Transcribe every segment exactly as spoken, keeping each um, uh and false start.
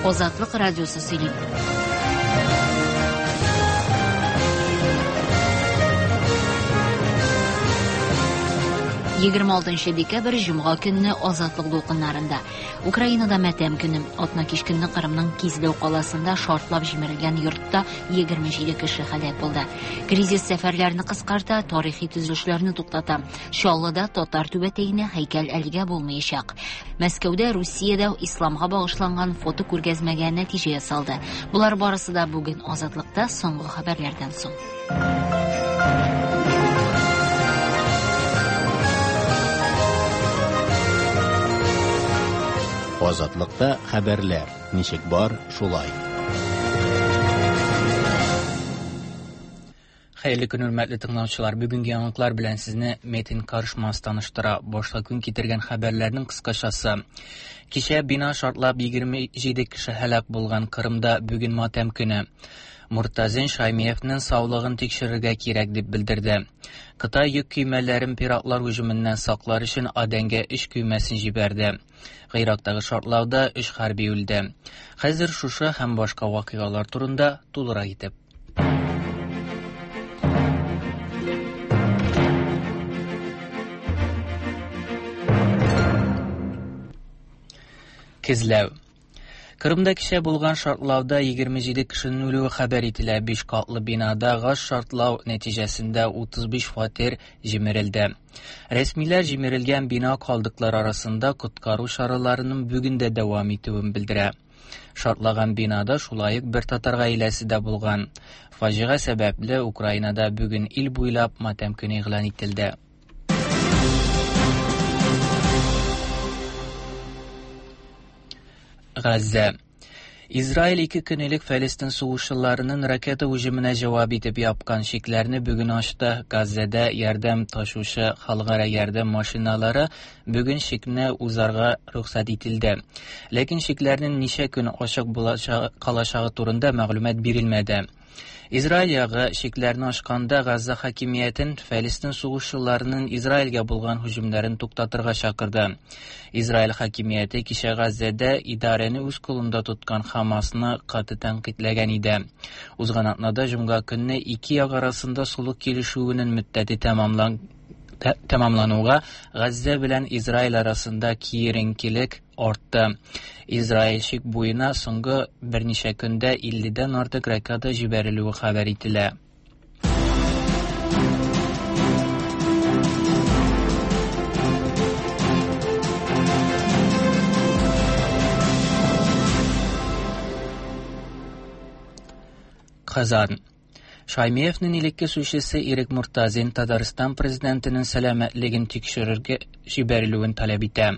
Азатлык радиосы сөйли. егерме алтынчы декабрь җомга көнне Азатлык дулкыннарында. Украинада матәм көне. Атна кич көнне Кырымның Кизләү каласында шартлап җимерелгән йортта егерме җиде кеше һәлак булды. Кризис сәфәрләрне кыскарта, тарихи төзелешләрне туктата. Чаллыда татар түбәтәенә һәйкәл әлегә булмаячак. Мәскәүдә Русиядә исламга багышланган фото күргәзмәгә нәтиҗә ясалды. Болар барысы да бүген Азатлыкта соңгы хәбәрләрдән соң. Азатлыкта хәбәрләр ничек бар, шулай. Хәерле көн, хөрмәтле тыңлаучылар. Бүгенге яңалыклар белән сезне Метин Карышмас таныштыра. Башта көн китергән хәбәрләрнең кыскачасы. Кичә бина шартлап егерме җиде кеше һәлак булган Кырымда бүген матәм көне. Муртазин Шаймиевның саулыгын тикшерергә кирәк дип белдерде. Кытай йөк көймәләрен пиратлар һөҗүменнән саклар өчен Адәнгә өч көймәсен җибәрде. Гыйрактагы шартлауда өч хәрби үлде. Хәзер шушы һәм башка вакыйгалар турында тулырак итеп. Кизләү. Кырымда кичә булган шартлауда егерме җиде кешенең үлүе хәбәр ителә. Биш катлы бинада газ шартлау нәтиҗәсендә утыз биш фатир җимерелде. Рәсмиләр җимерелгән бина калдыклары арасында коткару чараларының бүген дә дәвам итүен белдерә. Шартлаган бинада шулай ук бер татар гаиләсе дә булган. Фаҗига сәбәпле Украинада бүген ил буйлап матәм көне игълан ителде. Газзә. Израиль ике көн элек Фәлестин сугышчыларының ракета һөҗүменә җавап итеп япкан чикләрне бүген ачты. Газзәдә ярдәм ташучы халыкара ярдәм машиналары бүген чикне узарга рөхсәт ителде. Ләкин чикләрнең ничә көн ачык булачагы калачагы турында мәгълүмат бирелмәде. Израиль ягы чикләрне ачканда Газзә хакимиятен Фәлестин сугышчыларының Израильгә булган һөҗүмнәрен туктатырга чакырды. Израиль хакимияте кичә Газзәдә идарәне үз кулында тоткан Хамасны каты тәнкыйтьләгән иде. Узган атнада җомга көнне ике як арасында сулык килешүенең мөддәте тәмамлан-, тә-, тәмамлануга Газзә белән Израиль арасында киеренкелек артты. Израиль чик буена соңгы берничә көндә илледән артык ракета җибәрелүе хәбәр ителә. Казан. Шаймиевның элекке сүзчесе Ирек Муртазин Татарстан президентының сәламәтлеген тикшерергә җибәрелүен таләп итә.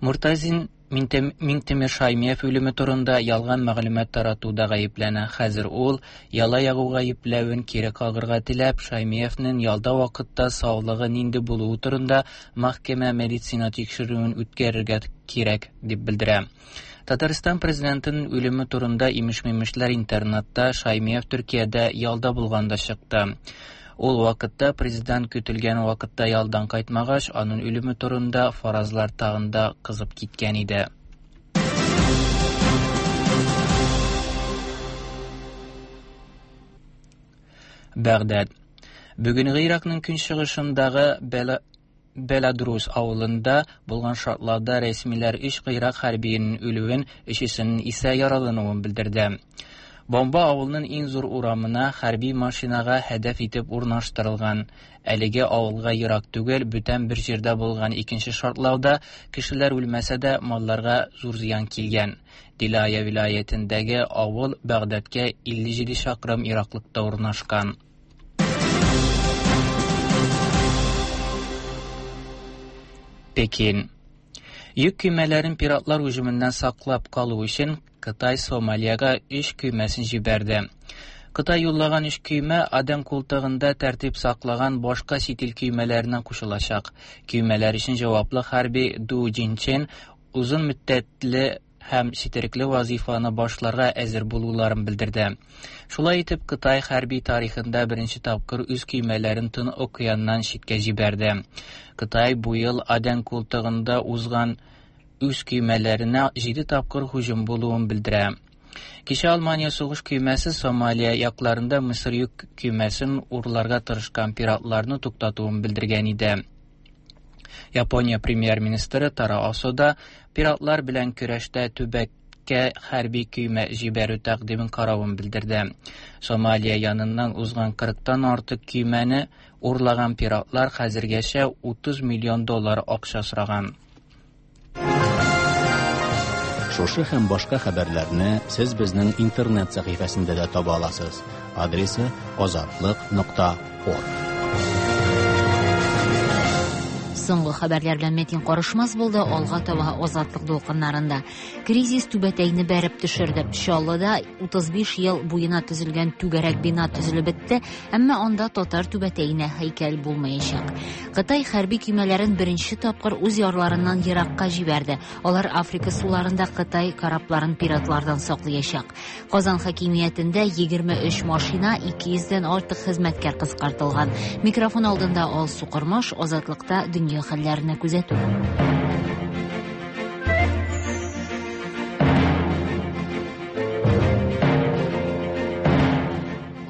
Муртазин Минтем-, Миңтимер Шаймиев үлеме турында ялган мәгълүмат таратуда гаепләнә. Хәзер ул яла ягу гаепләвен кире кагырга теләп, Шаймиевның ялда вакытта саулыгы нинди булуы турында мәхкәмә медицина тикшерүен үткәрергә кирәк дип белдерә. Татарстан президентының үлеме турында имеш-мимешләр интернетта Шаймиев Төркиядә ялда булганда чыкты. Ул вакытта президент көтелгән вакытта ялдан кайтмагач, аның үлеме турында фаразлар тагын да кызып киткән иде. Бәгъдәд. Бүген Гыйракның көнчыгышындагы Бела-, Беладрус авылында булган шартлауда рәсмиләр өч Гыйрак хәрбиенең үлүен, өчесенең исә яралануын белдерде. Бомба авылның иң зур урамына хәрби машинага һәдәф итеп урнаштырылган. Әлеге авылга ерак түгел, бүтән бер җирдә булган икенче шартлауда кешеләр үлмәсә дә малларга зур зыян килгән. Дилая вилаятендәге авыл Бәгъдәдкә илле җиде чакрым ераклыкта урнашкан. Пекин. Йөк көймәләрен пиратлар һөҗүменнән саклап калу өчен Кытай Сомалиягә өч көймәсен җибәрде. Кытай юллаган өч көймә Аден култыгында тәртип саклаган башка чит ил көймәләренә кушылачак. Көймәләр өчен җаваплы хәрби Ду Джинчен озын мөддәтле һәм четерекле вазифаны башларга әзер булуларын белдерде. Шулай итеп, Кытай хәрби тарихында беренче тапкыр үз көймәләрен Тын океаннан читкә җибәрде. Кытай бу ел Аден култыгында узган үз көймәләренә җиде тапкыр һөҗүм булуын белдерә. Кичә Алмания сугыш көймәсе Сомалия якларында Мисыр йөк көймәсен урларга тырышкан пиратларны туктатуын белдергән иде. Япония премьер-министры Таро Асо да пиратлар белән көрәштә төбәккә хәрби көймә җибәрү тәкъдимен каравын белдерде. Сомалия яныннан узган кырыктан артык көймәне урлаган пиратлар хәзергәчә утыз миллион доллар акча сораган. Шушы һәм башка хәбәрләрне сез безнең интернет сәхифәсендә дә таба аласыз. Адресы азатлык нокта орг. Соңгы хәбәрләр белән Метин Карышмас булды. Алга таба Азатлык дулкыннарында. Кризис түбәтәйне бәреп төшерде. Чаллыда утыз биш ел буена төзелгән түгәрәк бина төзелеп бетте, әмма анда татар түбәтәенә һәйкәл булмаячак. Кытай хәрби көймәләрен беренче тапкыр үз ярларыннан еракка җибәрде. Алар Африка суларында Кытай корабларын пиратлардан саклаячак. Казан хакимиятендә егерме өч машина, ике йөздән артык хезмәткәр кыскартылган. Микрофон алдында Алсу Кормаш, Азатлыкта дөнья хәлләренә күзәтү.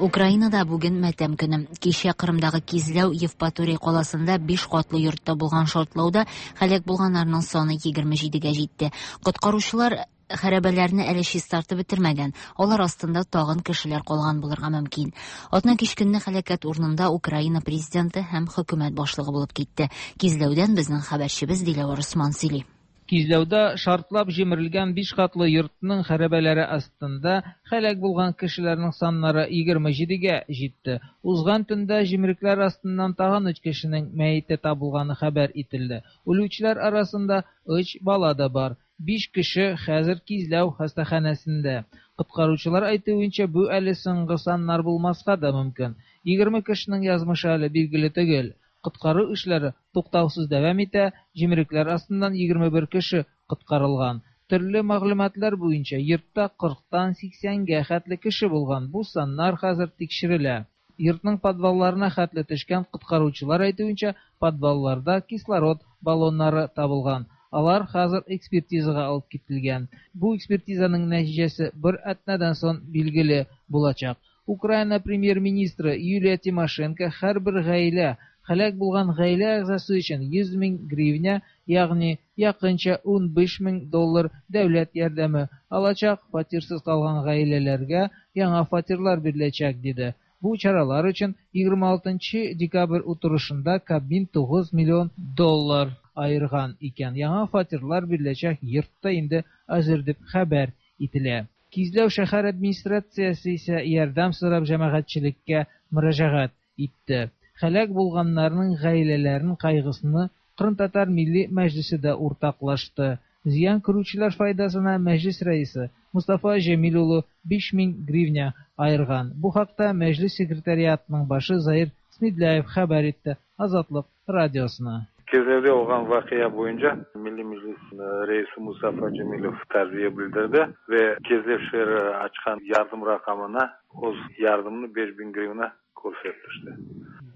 Украинада бүген мәтәм көне. Кичә Кырымдагы Кизләү Евпаторий каласында биш катлы йортта булган шартлауда һәлак булганнарның саны егерме җидегә җитте. Коткаручылар хәрабәләрне әле чистартып бетермәгән. Алар астында тагын кешеләр калган булырга мөмкин. Атна кич көнне һәлакәт урынында Украина президенты һәм хөкүмәт башлыгы булып китте. Кизләүдән безнең хәбәрчебез Диләвәр Усман сөйли. Кизләүдә шартлап җимерелгән биш катлы йортның хәрабәләре астында һәлак булган кешеләрнең саннары егерме җидегә җитте. Узган төндә җимерекләр астыннан тагын өч кешенең мәете табылганы хәбәр ителде. Үлүчеләр арасында өч бала да бар. Биш кеше хәзер Кизләү хастаханәсендә. Коткаручылар әйтүенчә, бу әле соңгы саннар булмаска да мөмкин. Егерме кешенең язмышы әле билгеле түгел. Коткару эшләре туктаусыз дәвам итә, җимерекләр астыннан егерме бер кеше коткарылган. Төрле мәгълүматлар буенча йортта кырыктан сиксәнгә хәтле кеше булган. Бу саннар хәзер тикшерелә. Йортның подвалларына хәтле төшкән коткаручылар әйтүенчә, подвалларда кислород баллоннары табылган. Алар хәзер экспертизага алып кителгән. Бу экспертизаның нәтиҗәсе бер атнадан соң билгеле булачак. Украина премьер-министры Юлия Тимошенко һәрбер гаилә, һәлак булган гаилә әгъзасы өчен йөз мең гривня, ягъни якынча ун биш мең доллар дәүләт ярдәме алачак, фатирсыз калган гаиләләргә яңа фатирлар биреләчәк, диде. Бу чаралар өчен егерме алтынчы декабрь утырышында Кабмин тугыз миллион доллар айырган икән. Яңа фатирлар биреләчәк йортта инде әзер дип хәбәр ителә. Кизләү шәһәр администрациясе исә ярдәм сорап җәмәгатьчелеккә мөрәҗәгать итте. Һәлак булганнарның гаиләләренең кайгысны Кырым татар милли мәҗлесе дә уртаклашты. Зыян күрүчеләр файдасына мәҗлес рәисе Мустафа Җәмил улы биш мең гривня айырган. Бу хакта мәҗлес секретариатының башы Заир Смедляев хәбәр итте Азатлык радиосына. Кизләүдә булган вакыйга буенча Милли Мәҗлес рәисе Мустафа Җәмилев тәрбия белдерде вә Кизләү шәһәре ачкан ярдәм ракамына үз ярдәмне биш мең гривна күрсәтте.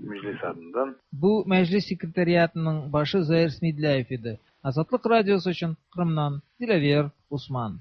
Мәҗлес адыннан. Бу мәҗлес секретариатының башы Заир Смедляев иде. Азатлык радиосы өчен Кырымнан Диләвер Усман.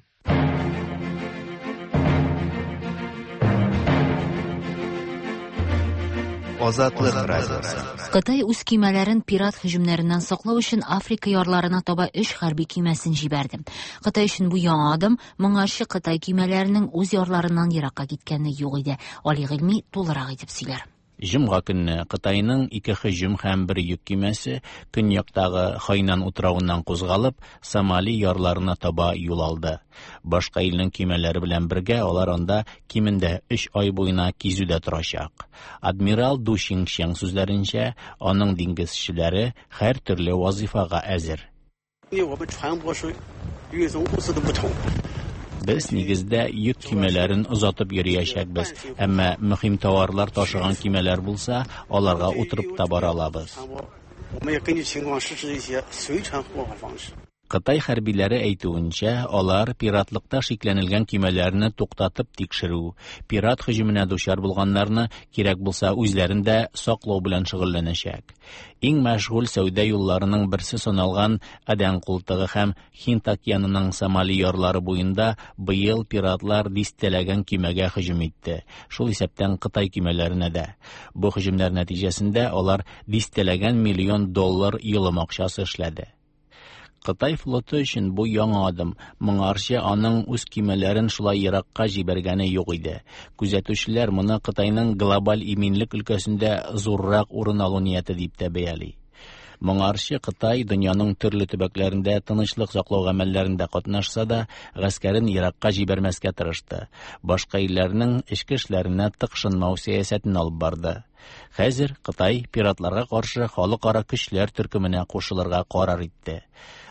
Азатлык радиосы. Кытай үз көймәләрен пират һөҗүмнәреннән саклау өчен Африка ярларына таба өч хәрби көймәсен җибәрде. Кытай өчен бу яңа адым, моңарчы Кытай көймәләренең үз ярларыннан еракка киткәне юк иде. Али Гыйльми тулырак итеп сөйләр. Җомга көнне Кытайның ике һөҗүм һәм бер йөк көймәсе көньяктагы Хайнан утравыннан кузгалып, Сомали ярларына таба юл алды. Башка илнең көймәләре белән бергә алар анда кимендә өч ай буена кизүдә торачак. Адмирал Ду Шиншeng сүзләренчә, аның диңгезчеләре һәр төрле вазифага әзер. Без нигездә йөк көймәләрен озатып йөриячәкбез, әмма мөһим товарлар ташыган көймәләр булса, аларга утырып та бара алабыз. Кытай хәрбиләре әйтүенчә, алар пиратлыкта шикләнелгән көймәләрне туктатып тикшерү, пират һөҗүменә дучар булганнарны кирәк булса үзләрен дә саклау белән шөгыльләнәчәк. Иң мәшгуль сәүдә юлларының берсе саналган Адән култыгы һәм Һинд океанының Сомали ярлары буенда быел пиратлар дистәләгән көймәгә һөҗүм итте, шул исәптән Кытай көймәләренә дә. Бу һөҗүмнәр нәтиҗәсендә алар дистәләгән миллион доллар йолым акчасы эшләде. Кытай флоты өчен бу яңа адым. Моңарчы аның үз көймәләрен шулай еракка җибәргәне юк иде. Күзәтүчеләр моны Кытайның глобаль иминлек өлкәсендә зуррак урын алу нияте дип тә бәяли. Моңарчы Кытай дөньяның төрле төбәкләрендә тынычлык саклау гамәлләрендә катнашса да, гаскәрен еракка җибәрмәскә тырышты. Башка илләрнең эчке эшләренә тыкшынмау сәясәтен алып барды. Хәзер Кытай пиратларга каршы халыкара көчләр төркеменә кушылырга карар итте.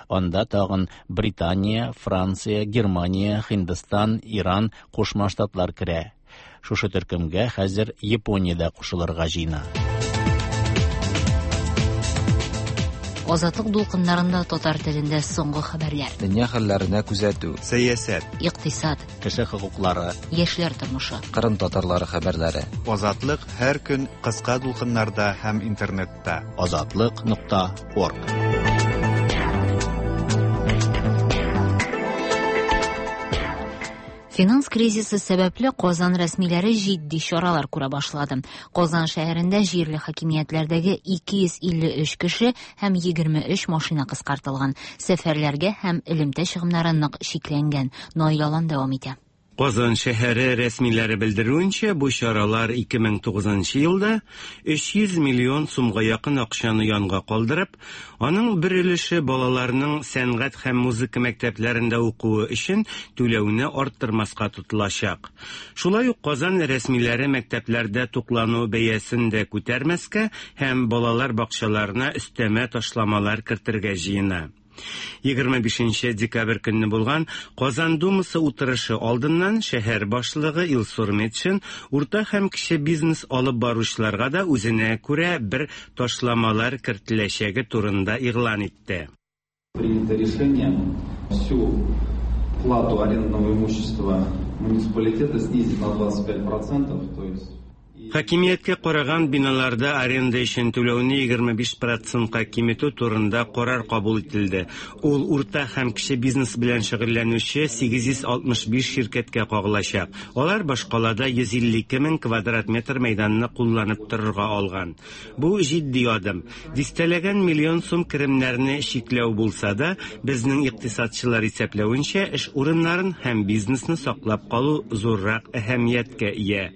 Анда тагын Британия, Франция, Германия, Һиндстан, Иран, Кушма Штатлар керә. Шушы төркемгә хәзер Япония дә кушылырга җыена. Азатлык дулкыннарында татар телендә соңгы хәбәрләр. Дөнья хәлләренә күзәтү, сәясәт, икътисад, кеше хокуклары, яшьләр тормышы, Кырым татарлары хәбәрләре. Азатлык һәр көн кыска дулкыннарда һәм интернетта. Азатлык нокта орг. Финанс кризисы сәбәпле Казан рәсмиләре җитди чаралар күрә башлады. Казан шәһәрендә җирле хакимиятләрдәге ике йөз илле өч кеше һәм егерме өч машина кыскартылган. Сәфәрләргә һәм элемтә чыгымнары нык чикләнгән. Наил Алан дәвам итә. Казан шәһәре рәсмиләре белдерүенчә, бу чаралар ике мең тугызынчы елда өч йөз миллион сумга якын акчаны янга калдырып, аның бер өлеше балаларның сәнгать һәм музыка мәктәпләрендә укуы өчен түләүне арттырмаска тотылачак. Шулай ук Казан рәсмиләре мәктәпләрдә туклану бәясен дә күтәрмәскә һәм балалар бакчаларына өстәмә ташламалар кертергә җыена. Егерме бишенче декабрь көнне булган Казан Думасы утырышы алдыннан шәһәр башлыгы Илсур Метшин урта һәм кече бизнес алып баручыларга да үзенә күрә бер ташламалар кертеләчәге турында игълан итте. Принято решение всю плату арендного имущества муниципалитета снизить на двадцать пять процентов, то есть Хакимияткә караган биналарда аренда өчен түләүне егерме биш процентка киметү турында карар кабул ителде. Ул урта һәм кече бизнес белән шөгыльләнүче сигез йөз алтмыш биш ширкәткә кагылачак. Алар башкалада йөз илле ике мең квадрат метр мәйданны кулланып торырга алган. Бу җитди адым. Дистәләгән миллион сум керемнәрне чикләү булса да, безнең икътисадчылар исәпләвенчә, эш урыннарын һәм бизнесны саклап калу зуррак әһәмияткә ия.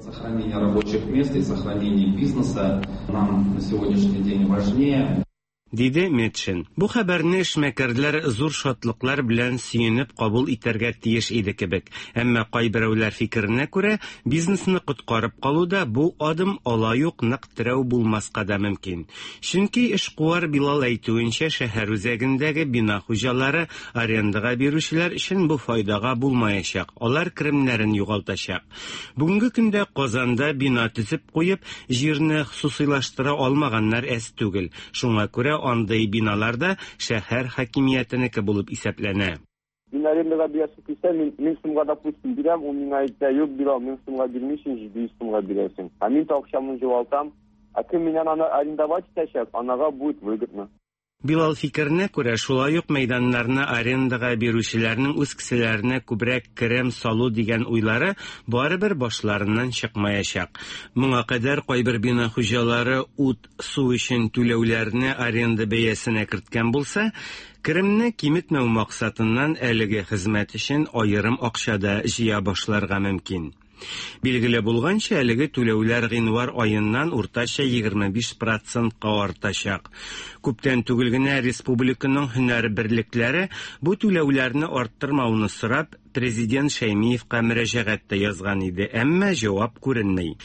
Сохранение рабочих мест и сохранение бизнеса нам на сегодняшний день важнее. Диде Метшин. Бу хәбәрне эшмәкәрләр зур шатлыклар белән сөенеп кабул итәргә тиеш иде кебек. Әмма кайберәүләр фикеренә күрә, бизнесны коткарып калуда бу адым алай ук нык терәү булмаска да мөмкин. Чөнки эшкуар Билал әйтүенчә, шәһәр үзәгендәге бина хуҗалары арендага бирүчеләр өчен бу файдага булмаячак. Алар керемнәрен югалтачак. Бүгенге көндә Казанда бина төзеп куеп, җирне хосусыйлаштыра алмаганнар әз түгел. Шуңа күрә андый биналарда шәһәр хакимиятенеке булып исәпләнә. Мин арендага бирәсем килсә, мин мең сумга, допустим, бирәм, ул миңа әйтә, юк, Билал, мең сумга бирмисең, җиде йөз сумга бирәсең. Ә мин акчамны югалтам. Ә кем миннән аны арендовать итәчәк, анага будет выгодно. Билал фикеренә күрә, шулай ук мәйданнарны арендага бирүчеләрнең үз кесәләренә күбрәк керем салу дигән уйлары барыбер башларыннан чыкмаячак. Моңа кадәр кайбер бина хуҗалары ут, су өчен түләүләрне аренда бәясенә керткән булса, керемне киметмәү максатыннан әлеге хезмәт өчен аерым акча да җыя башларга мөмкин. Билгеле булганча, әлеге түләүләр гыйнвар аеннан уртача егерме биш процентка артачак. Күптән түгел генә республиканың һөнәр берлекләре бу түләүләрне арттырмауны сорап, президент Шәймиевка мөрәҗәгать тә язган иде, әмма җавап күренми.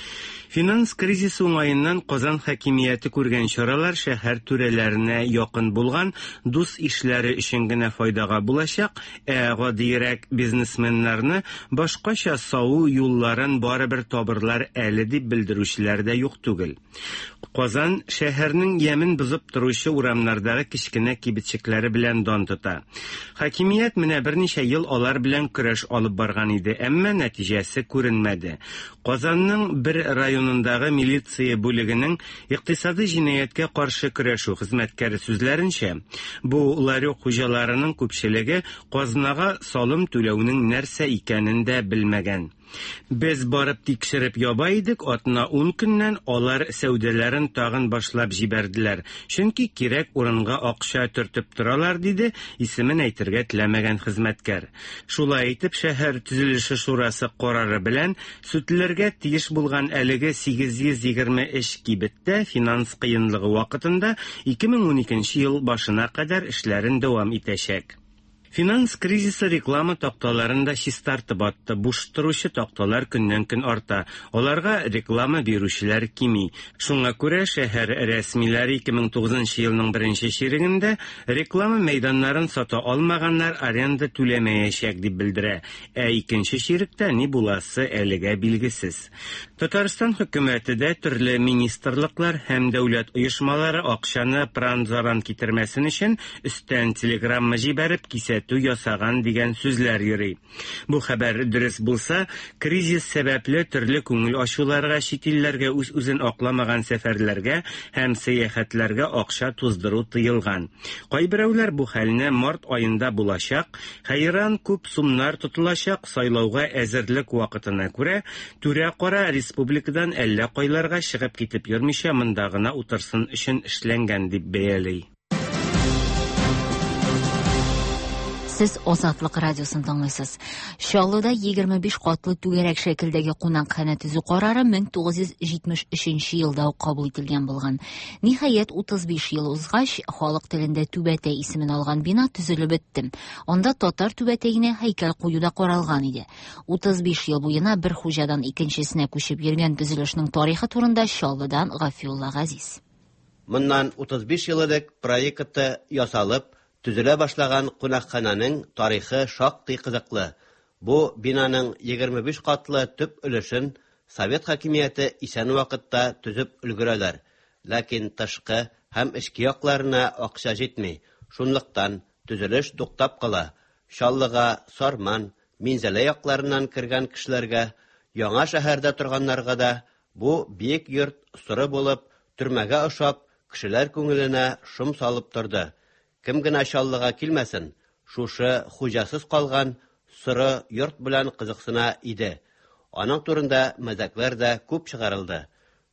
Финанс кризисы уңаеннан Казан хакимияте күргән чаралар шәһәр түрәләренә якын булган дус ишләре өчен генә файдага булачак, ә гадиерәк бизнесменнарны башкача саву юлларын барыбер табырлар әле дип белдерүчеләр дә юк түгел. Казан шәһәрнең ямен бозып торучы урамнардагы кечкенә кибетчекләре белән дан тота. Хакимият менә берничә ел алар белән көрәш алып барган иде, әмма нәтиҗәсе күренмәде. Казанның бер районындагы милиция бүлегенең икътисади җинаятькә каршы көрәшү хезмәткәре сүзләренчә, бу ларек хуҗаларының күпчелеге казнага салым түләүнең нәрсә икәнен дә белмәгән. Без барып тикшереп яба идек, атна ун көннән алар сәүдәләрен тагын башлап җибәрделәр. Чөнки кирәк урынга акча төртеп торалар, диде исемен әйтергә теләмәгән хезмәткәр. Шулай итеп, шәһәр төзелеше шурасы карары белән сүтелергә тиеш булган әлеге сигез йөз егерме өч кибеттә финанс кыенлыгы вакытында ике мең уникенче ел башына кадәр эшләрен дәвам итәчәк. Финанс кризисы реклама такталарын да чистартып атты. Буш торучы такталар көннән-көн арта. Аларга реклама бирүчеләр кими. Шуңа күрә шәһәр рәсмиләре ике мең тугызынчы елның беренче чирегендә реклама мәйданнарын сата алмаганнар аренда түләмәячәк дип белдерә. Ә икенче чиректә ни буласы әлегә билгесез. Татарстан хөкүмәте дә төрле министрлыклар һәм дәүләт оешмалары акчаны пыран-заран китермәсен өчен өстән телеграмма җибәреп кисәтү ясаган дигән сүзләр йөри. Бу хәбәр дөрес булса, кризис сәбәпле төрле күңел ачуларга, чит илләргә үз-үзен акламаган сәфәрләргә һәм сәяхәтләргә акча туздыру тыелган. Кайберәүләр бу хәлне март аенда булачак, хәйран күп сумнар тотылачак сайлауга әзерлек вакытына күрә, түрә-кара республикадан әллә кайларга чыгып китеп йөрмичә монда гына утырсын өчен эшләнгән дип бәяли. Сез Азатлык радиосын тыңлыйсыз. Чаллыда егерме биш катлы түгәрәк шәкелдәге кунакханә төзү карары мең тугыз йөз җитмеш өченче елда ук кабул ителгән булган. Ниһаять, утыз биш ел узгач, халык телендә Түбәтәй исемен алган бина төзелеп бетте. Анда татар түбәтәенә һәйкәл кую да каралган иде. Утыз биш ел буена бер хуҗадан икенчесенә күчеп йөргән төзелешнең тарихы турында Чаллыдан Гафиулла Газиз. Моннан утыз биш ел элек проекты ясалып, төзелә башлаган кунакхананың тарихы шактый кызыклы. Бу бинаның егерме биш катлы төп өлешен Совет хакимияте исән вакытта төзеп өлгерәләр. Ләкин тышкы һәм эчке якларына акча җитми. Шунлыктан төзелеш туктап кала. Чаллыга Сарман, Минзәлә якларыннан кергән кешеләргә, яңа шәһәрдә торганнарга да бу биек йорт соры булып, төрмәгә ошап, кешеләр күңеленә шом салып торды. Кем генә Чаллыга килмәсен, шушы хуҗасыз калган соры йорт белән кызыксына иде. Аның турында мәзәкләр дә күп чыгарылды.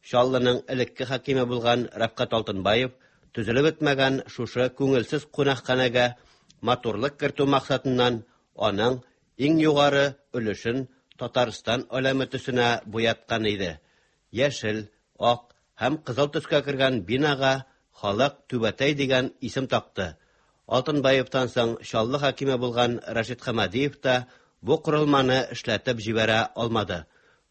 Чаллының элекке хакиме булган Рәфкать Алтынбаев төзелеп бетмәгән шушы күңелсез кунакханәгә матурлык кертү максатыннан аның иң югары өлешен Татарстан әләме төсенә буяткан иде. Яшел, ак һәм кызыл төскә кергән бинага халык Түбәтәй дигән исем такты. Алтынбаевтан соң Чаллы хакиме булган Рашид Хамадиев та бу корылманы эшләтеп җибәрә алмады.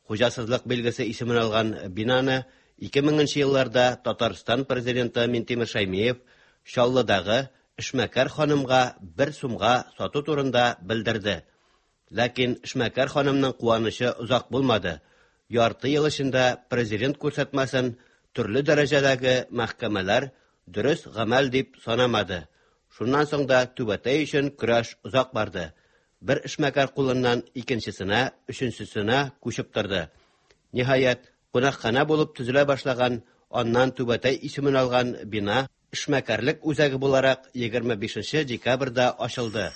Хуҗасызлык билгесе исемен алган бинаны ике меңенче елларда Татарстан президенты Минтимер Шаймиев Чаллыдагы эшмәкәр ханымга бер сумга сату турында белдерде. Ләкин эшмәкәр ханымның куанычы озак булмады. Ярты ел эчендә президент күрсәтмәсен төрле дәрәҗәдәге мәхкәмәләр дөрес гамәл дип санамады. Шуннан соң да Түбәтәй өчен көрәш озак барды. Бер эшмәкәр кулыннан икенчесенә, өченчесенә күчеп торды. Ниһаять, кунакханә булып төзелә башлаган, аннан Түбәтәй исемен алган бина эшмәкәрлек үзәге буларак егерме бишенче декабрьдә ачылды.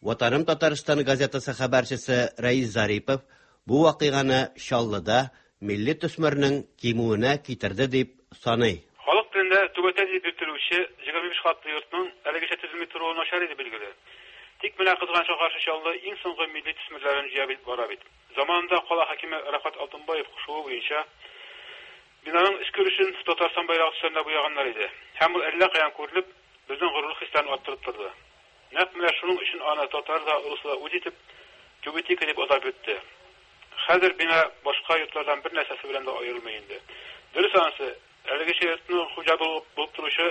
Ватаным Татарстан газетасы хәбәрчесе Рәис Зарипов бу вакыйганы Чаллыда милли төсмернең кимүенә китерде дип саный. Халык телендә Түбәтәй дип йөртелүче егерме биш катлы йортның әлегәчә төзелми торуы начар иде билгеле. Тик менә кызганычка каршы Чаллы иң соңгы милли төсмерләрен җыя бара бит. Заманында кала хакиме Рәфкать Алтынбаев кушуы буенча бинаның эчке өлешен Татарстан байрагы төсләренә буяганнар иде. Һәм ул әллә каян күрелеп, безнең горурлык хисләрен арттырып торды. Нәкъ менә шуның өчен аны татар да, урыс да үз итеп Түбәтәй дип атап йөртте. Хәзер бина башка йортлардан бер нәрсәсе белән дә аерылмый инде. Дөрес анысы, әлегечә йортның хуҗа булып торучы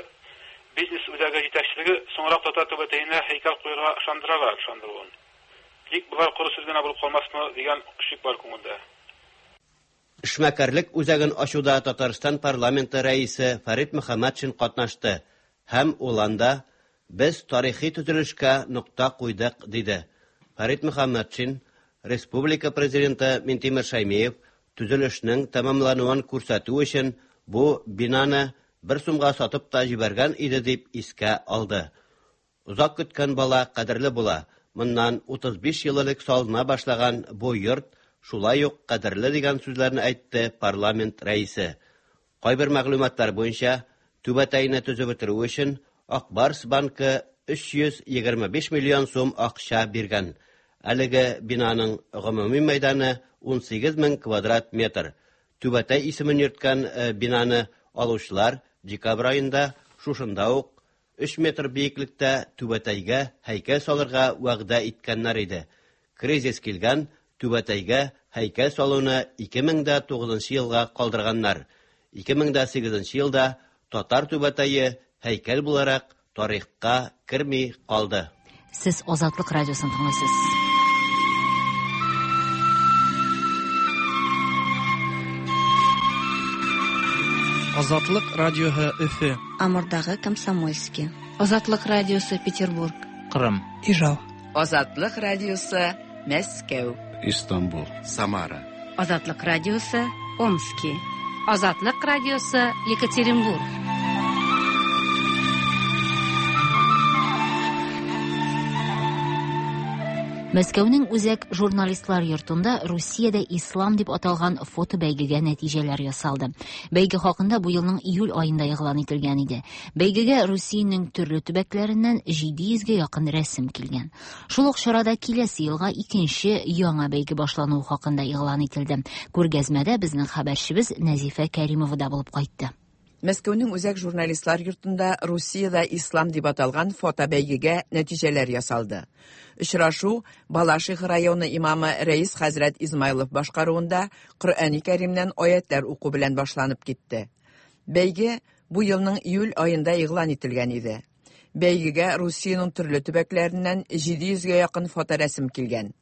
бизнес үзәге җитәкчелеге соңрак татар түбәтәенә һәйкәл куярга ышандыралар, ышандыруын. Тик болар коры сүз генә булып калмасмы дигән шик бар күңелдә. Эшмәкәрлек үзәген ачуда Татарстан парламенты рәисе Фәрит Мөхәммәтшин катнашты һәм ул анда «Без тарихи төзелешкә нокта куйдык» диде. Фәрит Мөхәммәтшин Республика президенты Минтимер Шаймиев төзелешнең тәмамлануын күрсәтү өчен бу бинаны бер сумга сатып та җибәргән иде дип искә алды. Озак көткән бала кадерле була. Моннан утыз биш ел элек салына башлаган бу йорт шулай ук кадерле дигән сүзләрне әйтте парламент рәисе. Кайбер мәгълүматлар буенча түбәтәйне төзеп бетерү өчен Ак Барс банкы өч йөз егерме биш миллион сум акча биргән. Әлеге бинаның гомуми мәйданы ун сигез мең квадрат метр. Түбәтәй исемен йөрткән бинаны алучылар декабрь аенда шушында ук өч метр биеклектә түбәтәйгә һәйкәл салырга вәгъдә иткәннәр иде. Кризис килгән, түбәтәйгә һәйкәл салуны ике мең дә тугызынчы елга калдырганнар. ике мең дә сигезенче елда татар түбәтәе һәйкәл буларак тарихка керми калды. Сез Азатлык радиосын тыңлыйсыз. Азатлык радиоһы Өфө. Амурдагы Комсомольский. Азатлык радиосы Петербург. Кырым. Ижау. Азатлык радиосы Мәскәү. Истанбул. Самара. Азатлык радиосы Омски. Азатлык радиосы Екатеринбург. Мәскәүнең үзәк журналистлар йортында Русиядә ислам дип аталган фото бәйгегә нәтиҗәләр ясалды. Бәйге хакында бу елның июль аенда игълан ителгән иде. Бәйгегә Русиянең төрле төбәкләреннән җиде йөзгә якын рәсем килгән. Шул ук чарада киләсе елга икенче яңа бәйге башлануы хакында игълан ителде. Күргәзмәдә безнең хәбәрчебез Нәзифә Кәримова да булып кайтты. Мәскәүнең үзәк журналистлар йортында Русиядә ислам дип аталган фото бәйгегә нәтиҗәләр ясалды. Очрашу Балашиха районы имамы Рәис хәзрәт Измайлов башкаруында Коръәни Кәримнән аятлар уку белән башланып китте. Бәйге бу елның июль аенда игълан ителгән иде. Бәйгегә Русиянең төрле төбәкләреннән җиде йөзгә якын фоторәсем килгән.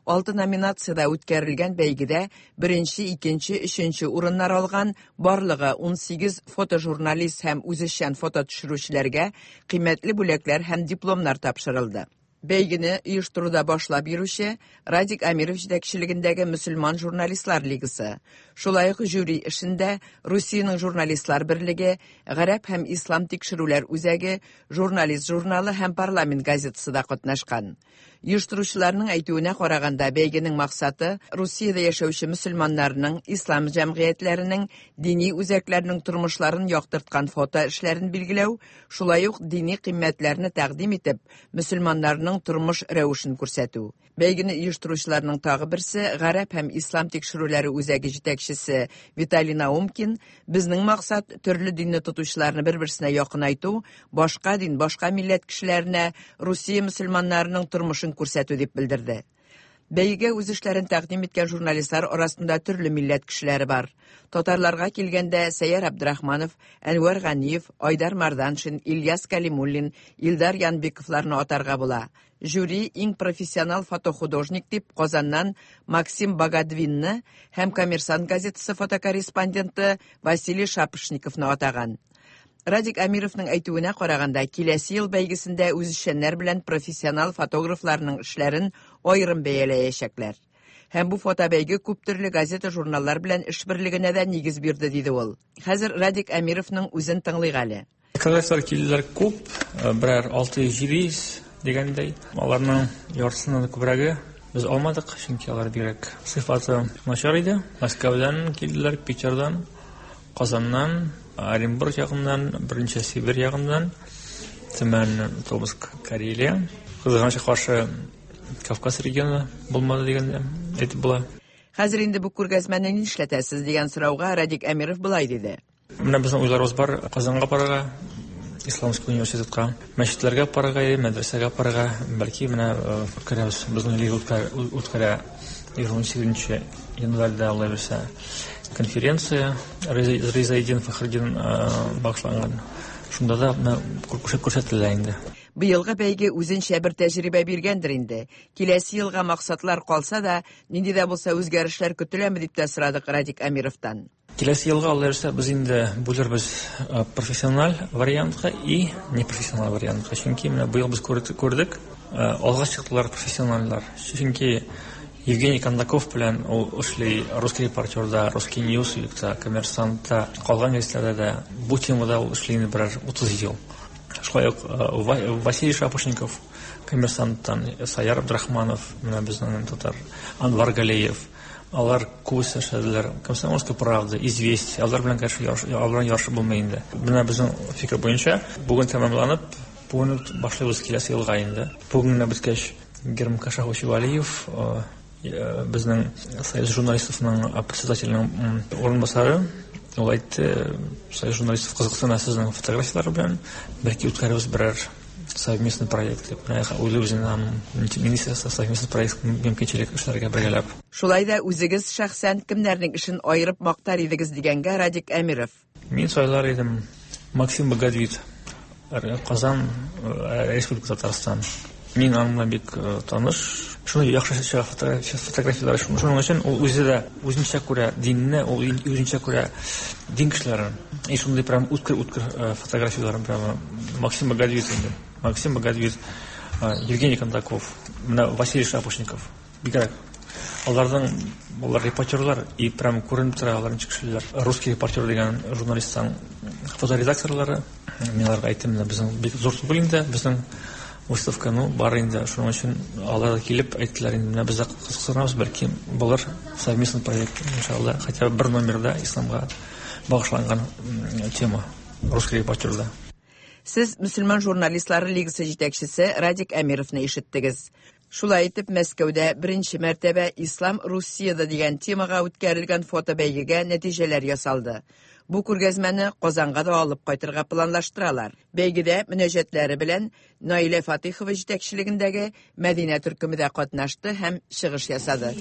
Алты номинацияда үткәрелгән бәйгедә беренче, икенче, өченче урыннар алган барлыгы ун сигез фотожурналист һәм үзешчән фото төшерүчеләргә кыйммәтле бүләкләр һәм дипломнар тапшырылды. Бәйгене оештыруда башлап йөрүче Радик Амиров җитәкчелегендәге Мөселман журналистлар лигасы. Шулай ук жюри эшендә Русиянең журналистлар берлеге, Гарәп һәм Ислам тикшерүләр үзәге, Журналист журналы һәм Парламент газетасы да катнашкан. Оештыручыларның әйтүенә караганда, бәйгенең максаты Русиядә яшәүче мөселманнарның, ислам җәмгыятьләренең, дини үзәкләренең тормышларын яктырткан фото эшләрен билгеләү, шулай ук дини кыйммәтләрне тәкъдим итеп, мөселманнарның тормыш рәвешен күрсәтү. Бәйгене оештыручыларның тагы берсе Гарәп һәм Ислам тикшерүләре үзәге җитәкчесе Виталий Наумкин, безнең максат төрле динне тотучыларны бер-берсенә якынайту, башка дин, башка милләт кешеләренә Русия мөселманнарының тормышын күрсәтү дип белдерде. Бәйгегә үз эшләрен тәкъдим иткән журналистлар арасында төрле милләт кешеләре бар. Татарларга килгәндә Сәйяр Абдрахманов, Әнвәр Ганиев, Айдар Марданшин, Ильяс Калимуллин, Илдар Янбековларны атарга була. Жюри иң профессионал фотохудожник дип Казаннан Максим Багадвинны һәм Коммерсант газетасы фотокорреспонденты Василий Шапошниковны атаган. Радик Амировның әйтүенә караганда, киләсе ел бәйгесендә үзешчәннәр белән профессионал фотографларның эшләрен аерым бәяләячәкләр. Һәм бу фотобәйге күп төрле газета-журналлар белән эшберлегенә дә нигез бирде, диде ул. Хәзер Радик Амировның үзен тыңлыйк әле. Фотографлар килделәр күп, берәр алты йөз җиде йөз дигәндәй. Аларның яртысыннан да күбрәге без алмадык, чөнки алар бигрәк сыйфаты начар иде. Мәскәүдән килделәр, Питердан, Казаннан, Оренбург ягыннан, беренче Сибирь ягыннан, Төмән, Томск, Карелия. Кызганычка каршы Кавказ регионы булмады дигәндә әйтеп була. Хәзер инде бу күргәзмәне нишләтәсез дигән сорауга Радик Әмиров былай диде. Менә безнең уйларыбыз бар Казанга барырга, Исламский университетка, мәчетләргә барырга, мәдрәсәгә барырга, бәлки менә үткәрәбез. Безнең лига үткәрә егерме сигезенче январьда, Алла бирсә, конференция Ризаэддин Фәхретдин багышланган. Шунда да менә күрсәтелә инде. Быелгы бәйге үзенчә бер тәҗрибә биргәндер инде. Киләсе елга максатлар калса да, нинди дә булса үзгәрешләр көтеләме дип тә сорадык Радик Әмировтан. Киләсе елга Алла бирсә, без инде бүлербез профессиональ вариантка и непрофессиональ вариантка. Чөнки менә быел без күрдек, алга чыктылар профессиональлар. Чөнки Евгений Кондаков белән ул эшли Русский репортерда, Русский Ньюсвикта, Коммерсантта, калган гәзитләрдә дә бу темада ул эшли инде берәр утыз ел. Шулай ук Василий Шапошников, Коммерсанттан, Саяр Абдрахманов, менә безнең татар, Анвар Галеев. Алар күбесе эшләделәр. Комсомольская правда, Известия, алар белән конечно алар белән ярышып булмый инде. Менә безнең фикер буенча бүген тәмамланып, бүген үк башлыйбыз киләсе елга инде. Бүген генә беткәч Герман Кашапович Валиев, безнең Союз журналистларының председателенең урынбасары, ул әйтте, Союз журналистов кызыксына сезнең фотографияләр белән, бәлки үткәрербез берәр совместный проект. Менә уйлыйбыз инде аның министрлыкта совместный проект мөмкинчелек эшләргә бергәләп. Шулай да үзегез шәхсән кемнәрнең эшен аерып мактар идегез дигәнгә Радик Әмиров. Мин сайлар идем Максим Богодвит, Казан, Республика Татарстан. Мин аның белән бик таныш. Шуны яхшы чыга фотографияләр. Шуның өчен ул үзе дә үзенчә күрә динне, ул үзенчә күрә дин кешеләрен. И шундый прям үткер-үткер фотографияләрен прямо Максим Богодвит инде. Максим Богодвит, Евгений Кондаков, менә Василий Шапошников. Бигрәк. Аларның алар репортерлар и прям күренеп тора алар ничек эшлиләр. Русский репортер дигән журналисттан фоторедакторлары. Мин аларга әйттем, менә безнең бик зур түгел инде, безнең выставка, ну, бар инде, шуның өчен алар да килеп әйттеләр инде, менә без дә кызыксынабыз, бәлки булыр совместный проект, иншалла, хотя бы бер номерда исламга багышланган тема русский репортерда. Сез мөселман журналистлары лигасы җитәкчесе Радик Әмировны ишеттегез. Шулай итеп, Мәскәүдә беренче мәртәбә Ислам Русиядә дигән темага үткәрелгән фотобәйгегә нәтиҗәләр ясалды. Бу күргәзмәне Казанга да алып кайтырга планлаштыралар. Бәйгедә мөнәҗәтләре белән Наилә Фатихова җитәкчелегендәге Мәдинә төркеме дә катнашты һәм чыгыш ясады.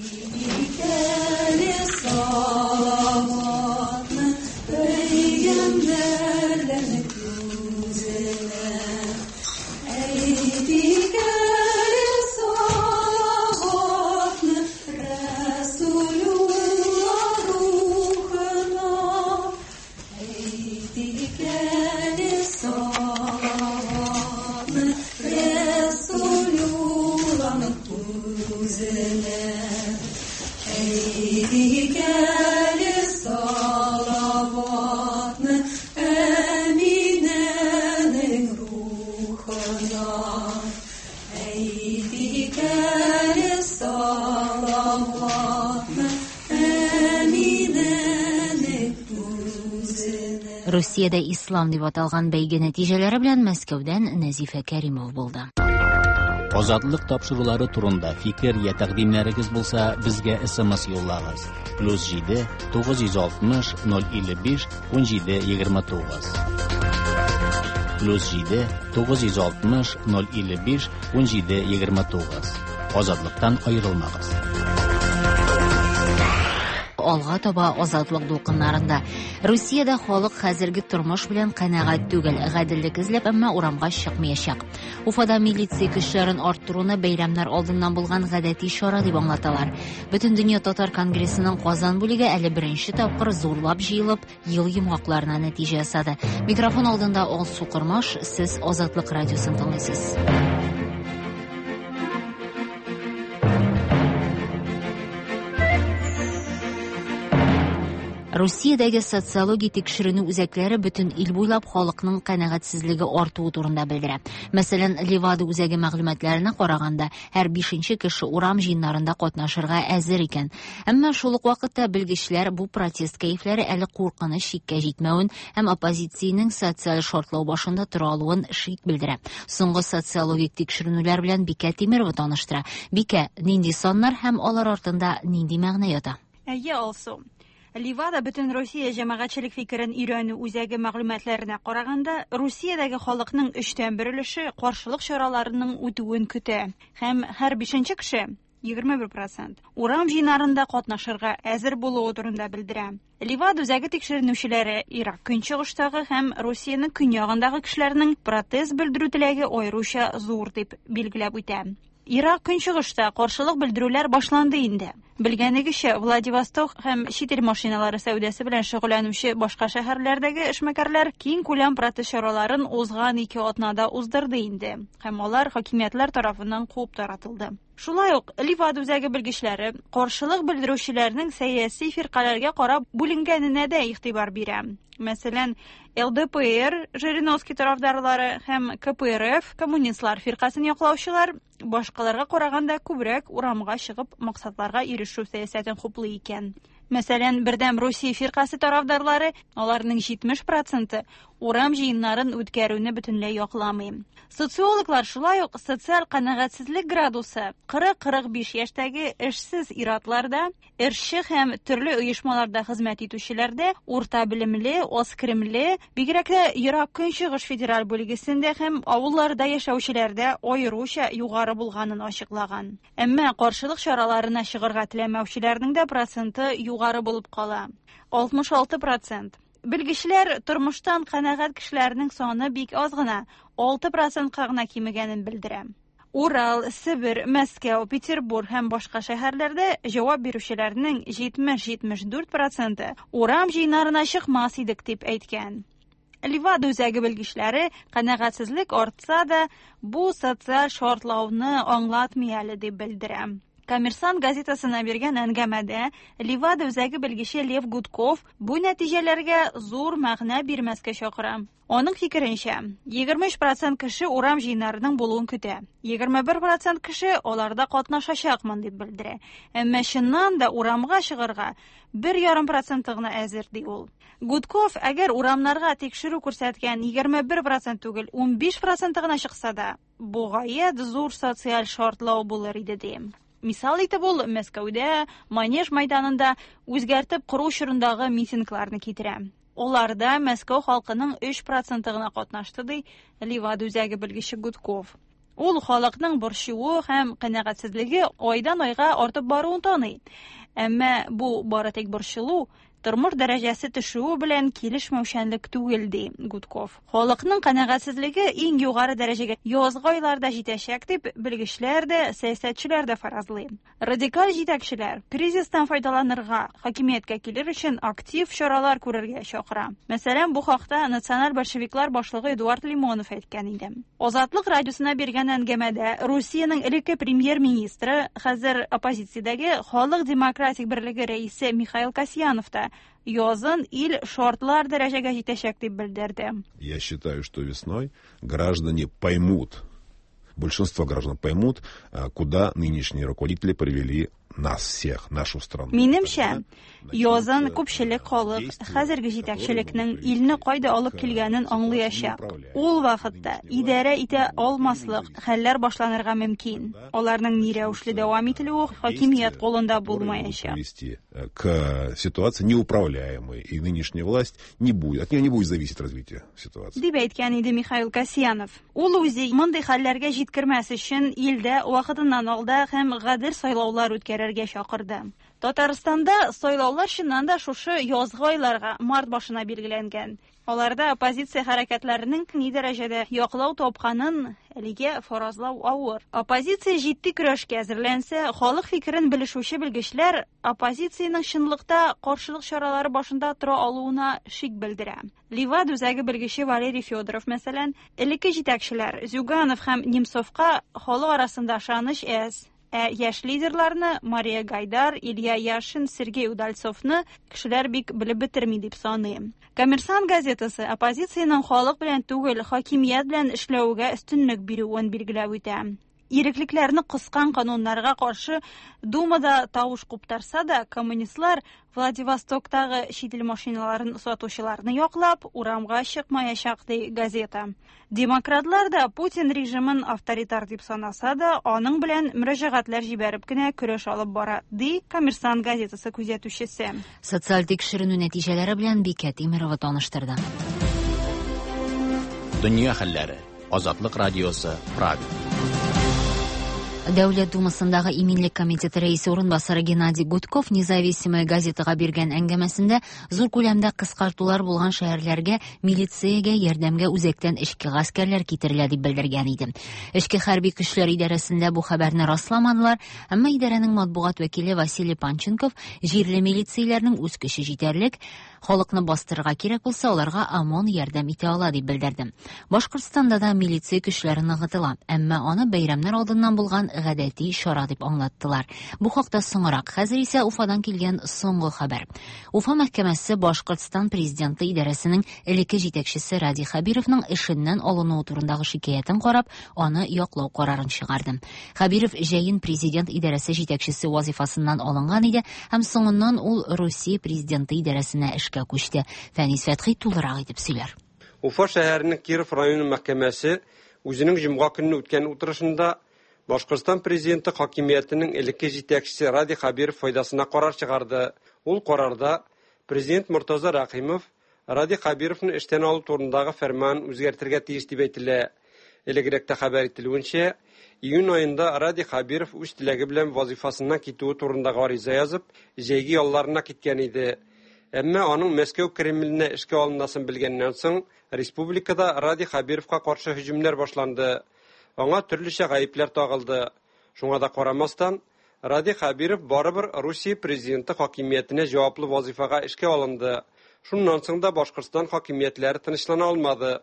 Русиядә ислам дип аталган бәйге нәтиҗәләре белән Мәскәүдән Нәзифә Кәримова булды. Азатлык тапшырулары турында фикер я тәкъдимнәрегез булса, безгә эс эм эс юллагыз. Плюс җиде тугыз йөз алтмыш ноль илле биш ун җиде егерме тугыз. Плюс җиде тугыз йөз алтмыш ноль илле биш ун җиде егерме тугыз. Азатлыктан аерылмагыз. Алга таба азатлык дулкыннарында. Русиядә халык хәзерге тормыш белән канәгать түгел, гаделлек эзләп, әмма урамга чыкмаячак. Уфада милиция көчләрен арттыруны бәйрәмнәр алдыннан булган гадәти чара дип аңлаталар. Бөтендөнья татар конгрессының Казан бүлеге әле беренче тапкыр зурлап җыелып, ел йомгакларына нәтиҗә ясады. Микрофон алдында Алсу Кормаш, сез Азатлык радиосын тыңлыйсыз. Русиядәге социология тикшеренү үзәкләре бөтен ил буйлап халыкның канәгатьсезлеге артуы турында белдерә. Мәсәлән, Левада үзәге мәгълүматларына караганда, һәр бишенче кеше урам җыеннарында катнашырга әзер икән. Әмма шул ук вакытта белгечләр бу протест кәефләре әле куркыныч чиккә җитмәвен һәм оппозициянең социаль шартлау башында тора алуын шик белдерә. Соңгы социологик тикшеренүләр белән Бикә Тимирова таныштыра. Бикә, нинди саннар һәм алар артында нинди мәгънә ята? Әйе, Алсу. Ливада бөтен Русия җәмәгатьчелек фикерен өйрәнү үзәге мәгълүматларына караганда, Русиядәге халыкның өчтән бер өлеше каршылык чараларының үтүен көтә. Һәм һәр бишенче кеше егерме бер процент, урам җыеннарында катнашырга әзер булуы турында белдерә. Левада үзәге тикшеренүчеләре Ирак көнчыгыштагы һәм Русиянең көньягындагы кешеләрнең протест белдерү теләге аеруча зур дип билгеләп үтә. Ирак көнчыгышта каршылык белдерүләр башланды инде. Белгәнегезчә, Владивосток һәм чит ил машиналары сәүдәсе белән шөгыльләнүче башка шәһәрләрдәге эшмәкәрләр киң күләм протест чараларын узган ике атнада уздырды инде, һәм алар хакимиятләр тарафыннан куып таратылды. Шулай ук Левада үзәге белгечләре каршылык белдерүчеләрнең сәяси фиркаләргә карап бүленгәненә дә игътибар бирә. Мәсәлән, Л Д П Р Жириновский тарафдарлары һәм К П Р Ф коммунистлар фиркасын яклаучылар башкаларга караганда күбрәк урамга чыгып максатларга ирешү сәясәтен хуплый икән. Мәсәлән, Бердәм Русия фиркасе тарафдарлары, аларның җитмеш проценты урам җыеннарын үткәрүне бөтенләй якламый. Социологлар шулай ук социаль канәгатьсезлек градусы кырык-кырык биш яшьтәге эшсез ир-атларда, эшче һәм төрле оешмаларда хезмәт итүчеләрдә, урта белемле, аз керемле, бигрәк тә Ерак Көнчыгыш федераль бүлгесендә һәм авылларда яшәүчеләрдә аеруча югары булганын ачыклаган. Әмма каршылык чараларына чыгарга теләмәүчеләрнең дә проценты югары булып кала. алтмыш алты процент. Белгечләр тормыштан канәгать кешеләрнең саны бик аз гына, алты процентка гына кимегәнен белдерә. Урал, Себер, Мәскәү, Петербург һәм башка шәһәрләрдә җавап бирүчеләрнең җитмеш-җитмеш дүрт проценты урам җыеннарына чыкмас идек дип әйткән. Левада үзәге белгечләре канәгатьсезлек артса да, бу социаль шартлауны аңлатмый әле дип белдерә. Коммерсант газетасына биргән әңгәмәдә Левада үзәге белгече Лев Гудков бу нәтиҗәләргә зур мәгънә бирмәскә чакыра. Аның фикеренчә, егерме өч процент кеше урам җыеннарының булуын көтә. егерме бер процент кеше аларда катнашачакмын дип белдерә. Әмма чыннан да урамга чыгарга бер ярым проценты гына әзер, ди ул. Гудков, әгәр урамнарга тикшерү күрсәткән егерме бер процент түгел, унбиш проценты гына чыкса да, бу гаять зур социаль шартлау булыр иде, ди. Мисал итеп ул Мәскәүдә Манеж майданында үзгәртеп кору чорындагы митингларны китерә. Аларда Мәскәү халкының өч проценты гына катнашты, ди Левада үзәге белгече Гудков. Ул халыкның борчуы һәм канәгатьсезлеге айдан айга артып баруын таный. Әмма бу бары тик борчылу, тормыш дәрәҗәсе төшүе белән килешмәүчәнлек түгел, ди Гудков. Халыкның канәгатьсезлеге иң югары дәрәҗәгә язгы айларда җитәчәк дип белгечләр дә, сәясәтчеләр дә фаразлый. Радикаль җитәкчеләр кризистан файдаланырга, хакимияткә килер өчен актив чаралар күрергә чакыра. Мәсәлән, бу хакта националь большевиклар башлыгы Эдуард Лимонов әйткән иде. Азатлык радиосына биргән әңгәмәдә Русиянең элекке премьер-министры, хәзер оппозициядәге Халык демократик берлеге рәисе Михаил Касьянов та язын ил шартлар дәрәҗәгә җитәчәк дип белдерде. Я считаю, что весной граждане поймут, большинство граждан поймут, куда нынешние руководители привели нас всех, нашу страну. Минемчә, язын күпчелек халык хәзерге җитәкчелекнең илне кайда алып килгәнен аңлаячак. Ул вакытта идарә итә алмаслык хәлләр башланырга мөмкин. Аларның ни рәвешле дәвам ителүе хакимият кулында булмаячак. К ситуации неуправляемой, и нынешняя власть не будет, от нее не будет зависеть развитие ситуации. Дип әйткән иде Михаил Касьянов. Ул үзе мондый хәлләргә җиткермәс өчен илдә вакытыннан алда һәм гадел сайлаулар үткәрергә чакырды. Татарстанда сайлаулар чыннан да шушы язгы айларга, март башына билгеләнгән. Аларда оппозиция хәрәкәтләренең ни дәрәҗәдә яклау тапканын әлегә фаразлау авыр. Оппозиция җитди көрәшкә әзерләнсә, халык фикерен белешүче белгечләр оппозициянең чынлыкта каршылык чаралары башында тора алуына шик белдерә. Левада үзәге белгече Валерий Федоров, мәсәлән, элекке җитәкчеләр Зюганов һәм Немцовка халык арасында ышаныч әз. Ә яшь лидерларны Мария Гайдар, Илья Яшин, Сергей Удальцовны кешеләр бик белеп бетерми дип саный. Коммерсант газетасы оппозициянең халык белән түгел, хакимият белән эшләүгә өстенлек бирүен билгеләп үтә. Иреклекләрне кыскан кануннарга каршы Думада тавыш куптарса да, коммунистлар Владивостоктагы чит ил машиналарын сатучыларны яклап урамга чыкмаячак, ди газета. Демократлар да Путин режимын авторитар дип санаса да, аның белән мөрәҗәгатьләр җибәреп кенә көрәш алып бара, ди Коммерсант газетасы күзәтүчесе. Социаль тикшеренү нәтиҗәләре белән Бикә Тимирова таныштырды. Дөнья хәлләре. Азатлык радиосы, Прага. Дәүләт Думасындагы Иминлек комитеты рәисе урынбасары Геннадий Гудков Независимая газетага биргән әңгәмәсендә зур күләмдә кыскартулар булган шәһәрләргә милициягә ярдәмгә үзәктән эчке гаскәрләр китерелә дип белдергән иде. Эчке хәрби көчләр идарәсендә бу хәбәрне расламадылар, әмма идарәнең матбугат вәкиле Василий Панченков җирле милицияләрнең үз көче җитәрлек, халыкны бастырырга кирәк булса, аларга ОМОН ярдәм итә ала дип белдерде. Башкортстанда да милиция көчләре ныгытыла, әмма аны бәйрәмнәр алдыннан булган гадәти чара дип аңлаттылар. Бу хакта соңрак. Хәзер исә Уфадан килгән соңгы хәбәр. Уфа мәхкәмәсе Башкортстан президенты идарәсенең элекке җитәкчесе Радий Хәбировның эшеннән алынуы турындагы шикаятен карап, аны яклау карарын чыгарды. Хәбиров җәен президент идарәсе җитәкчесе вазифасыннан алынган иде һәм соңыннан ул Русия президенты идарәсенә эшкә күчте. Фәнис Фәтхи тулырак итеп сөйләр. Уфа шәһәренең Киров районы мәхкәмәсе үзенең җомга көнне үткән утырышында Башкортстан президенты хакимиятенең элекке җитәкчесе Радий Хәбиров файдасына карар чыгарды. Ул карарда президент Мортаза Рәхимов Радий Хәбировны эштән алу турындагы фәрман үзгәртергә тиеш дип әйтелә. Элегрәк тә хәбәр ителүенчә, июнь аенда Радий Хәбиров үз теләге белән вазифасыннан китүе турында гариза язып, җәйге ялларына киткән иде. Әмма аның Мәскәү Кремленә эшкә алынасын белгәннән соң, республикада Радий Хәбировка каршы һөҗүмнәр башланды. Аңа төрлечә гаепләр тагылды. Шуңа да карамастан, Радий Хәбиров барыбер Русия президенты хакимиятенә җаваплы вазифага эшкә алынды. Шуннан соң да Башкортстан хакимиятләре тынычлана алмады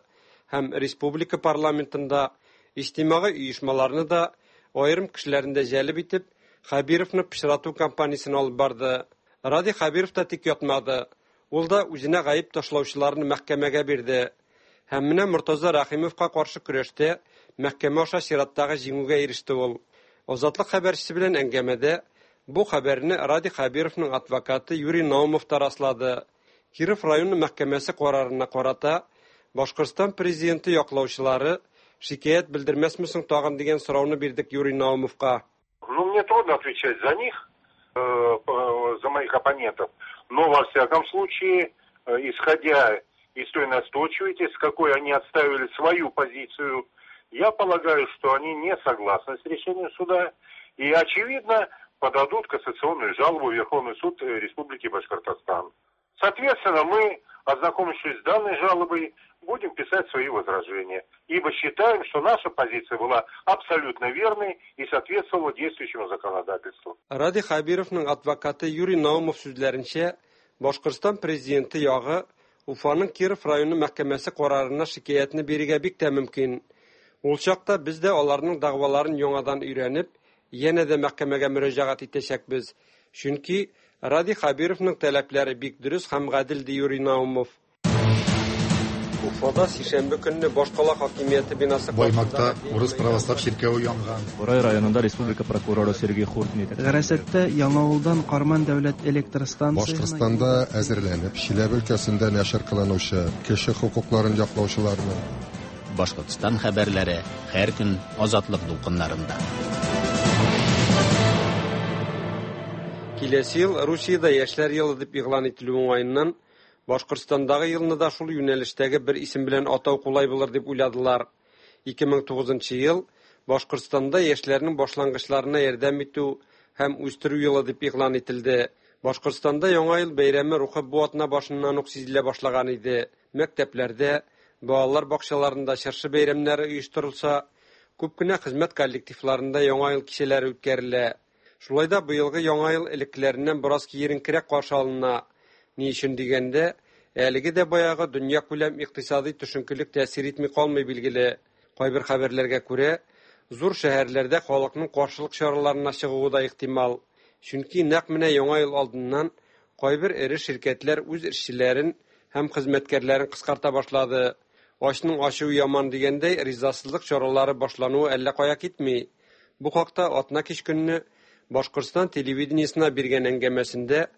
һәм республика парламентында иҗтимагый оешмаларны да, аерым кешеләрне дә җәлеп итеп, Хәбировны пычрату кампаниясен алып барды. Радий Хәбиров та тик ятмады. Ул да үзенә гаеп ташлаучыларны мәхкәмәгә бирде. Һәм менә Мортаза Рәхимовка каршы көрәштә мәхкәмә аша чираттагы җиңүгә иреште ул. Азатлык хәбәрчесе белән әңгәмәдә бу хәбәрне Радий Хәбировның адвокаты Юрий Наумов та раслады. Киров районы мәхкәмәсе карарына карата Башкортстан президенты яклаучылары шикаять белдермәсме соң тагын дигән сорауны бирдек Юрий Наумовка. Ну, мне трудно отвечать за них, за моих оппонентов, но во всяком случае, исходя из той настойчивости, с какой они отставили свою позицию, я полагаю, что они не согласны с решением суда и, очевидно, подадут кассационную жалобу в Верховный суд Республики Башкортостан. Соответственно, мы, ознакомившись с данной жалобой, будем писать свои возражения, ибо считаем, что наша позиция была абсолютно верной и соответствовала действующему законодательству. Радий Хәбировның адвокаты Юрий Наумов сүзләренчә, Башкортстан президенты ягы Уфаның Киров районы мәхкәмәсе карарына шикаятьне бирергә бик тә мөмкин. Ул чакта без дә аларның дәгъваларын яңадан өйрәнеп, янә дә мәхкәмәгә мөрәҗәгать итәчәкбез. Чөнки Радий Хәбировның таләпләре бик дөрес һәм гадел, ди Юрий Наумов. Уфада сишәмбе көнне башкала хакимияте бинасы Баймакта урыс православ чиркәве янган. Бурай районында республика прокуроры Сергей Хуртин. Гарасатта Яңавылдан Карман дәүләт электр станциясенә Башкортстанда әзерләнеп, Чиләбе өлкәсендә нәшер кылынучы кеше хокукларын яклаучыларны Башкортстан хәбәрләре һәр көн Азатлык дулкыннарында. Киләсе ел Русиядә яшьләр елы дип игълан ителү уңаеннан Башкортстандагы елны да шул юнәлештәге бер исем белән атау кулай булыр дип уйладылар. ике мең тугызынчы ел Башкортстанда яшьләрнең башлангычларына ярдәм итү һәм үстерү елы дип игълан ителде. Башкортстанда Яңа ел бәйрәме рухы бу атна башыннан ук сизелә башлаган иде. Мәктәпләрдә, балалар бакчаларында чыршы бәйрәмнәре оештырылса, күп кенә хезмәт коллективларында Яңа ел кичәләре үткәрелә. Шулай да быелгы Яңа ел элеккеләреннән бераз киеренкерәк каршы алына. Ни өчен дигәндә, әлеге дә баягы дөньякүләм икътисади төшенкелек тәэсир итми калмый билгеле. Кайбер хәбәрләргә күрә, зур шәһәрләрдә халыкның каршылык чараларына чыгуы да ихтимал. Чөнки нәкъ менә Яңа ел алдыннан кайбер эре ширкәтләр үз эшчеләрен һәм хезмәткәрләрен кыскарта башлады. Ачның ачуы яман дигәндәй, ризасызлык чаралары башлануы әллә кая китми. Бу хакта атна кич көнне Башкортстан телевидениесенә биргән әңгәмәсендә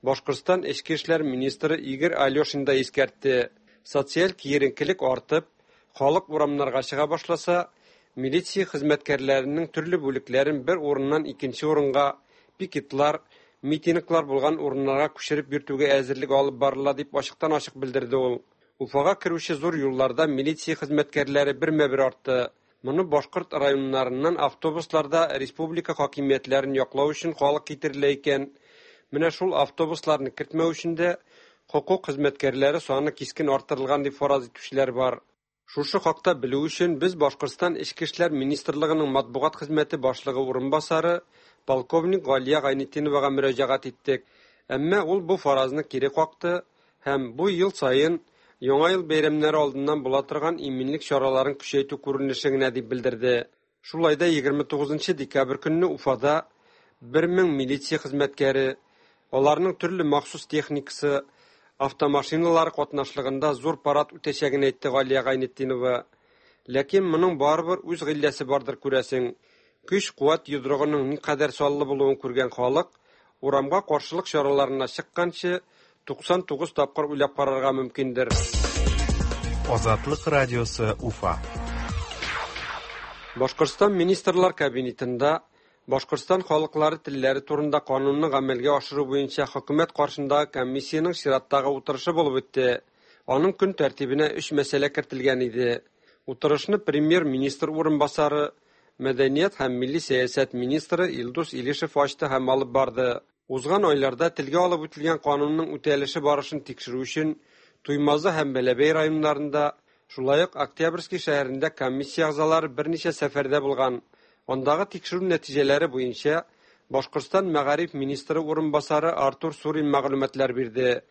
Башкортстан эчке эшләр министры Игорь Алешин да искәртте. Социаль киеренкелек артып, халык урамнарга чыга башласа, милиция хезмәткәрләренең төрле бүлекләрен бер урыннан икенче урынга, пикетлар, митинглар булган урыннарга күчереп йөртүгә әзерлек алып барыла дип ачыктан-ачык белдерде ул. Уфага керүче зур юлларда милиция хезмәткәрләре бермә-бер артты. Моны башкорт районнарыннан автобусларда республика хакимиятләрен яклау өчен халык китерелә икән. Менә шул автобусларны кертмәү өчен дә хокук хезмәткәрләре саны кискен арттырылган дип фараз итүчеләр бар. Шушы хакта белү өчен без Башкортстан Эчке эшләр министрлыгының матбугат хезмәте башлыгы урынбасары полковник Галия Гайнетдиновага мөрәҗәгать иттек. Әмма ул бу фаразны кире какты һәм бу ел саен Яңа ел бәйрәмнәре алдыннан була торган иминлек чараларын көчәйтү күренеше генә дип белдерде. Шулай да егерме тугызынчы декабрь көнне Уфада бер мең милиция хезмәткәре, аларның төрле махсус техникасы, автомашиналар катнашлыгында зур парад үтәчәген әйтте Галия Гайнетдинова. Ләкин моның барыбер үз гыйлләсе бардыр күрәсең. Көч-куәт йодрыгының никадәр саллы булуын күргән халык урамга каршылык чараларына чыкканчы туксан тугыз тапкыр уйлап карарга мөмкиндер. Азатлык радиосы Уфа. Башкортстан Министрлар Кабинетында Башкортстан халыклары телләре турында канунны гамәлгә ашыру буенча хөкүмәт каршындагы комиссиянең чираттагы утырышы булып үтте. Аның көн тәртибенә өч мәсьәлә кертелгән иде. Утырышны премьер-министр урынбасары, мәдәният һәм милли сәясәт министры Илдус Илишев ачты һәм алып барды. Узган айларда телгә алып үтелгән канунның үтәлеше барышын тикшерү өчен Туймазы һәм Бәләбәй районнарында, шулай ук Октябрьский шәһәрендә комиссия әгъзалары берничә сәфәрдә булган. Андагы тикшерү нәтиҗәләре буенча Башкортстан мәгариф министры урынбасары Артур Сурин мәгълүматлар бирде.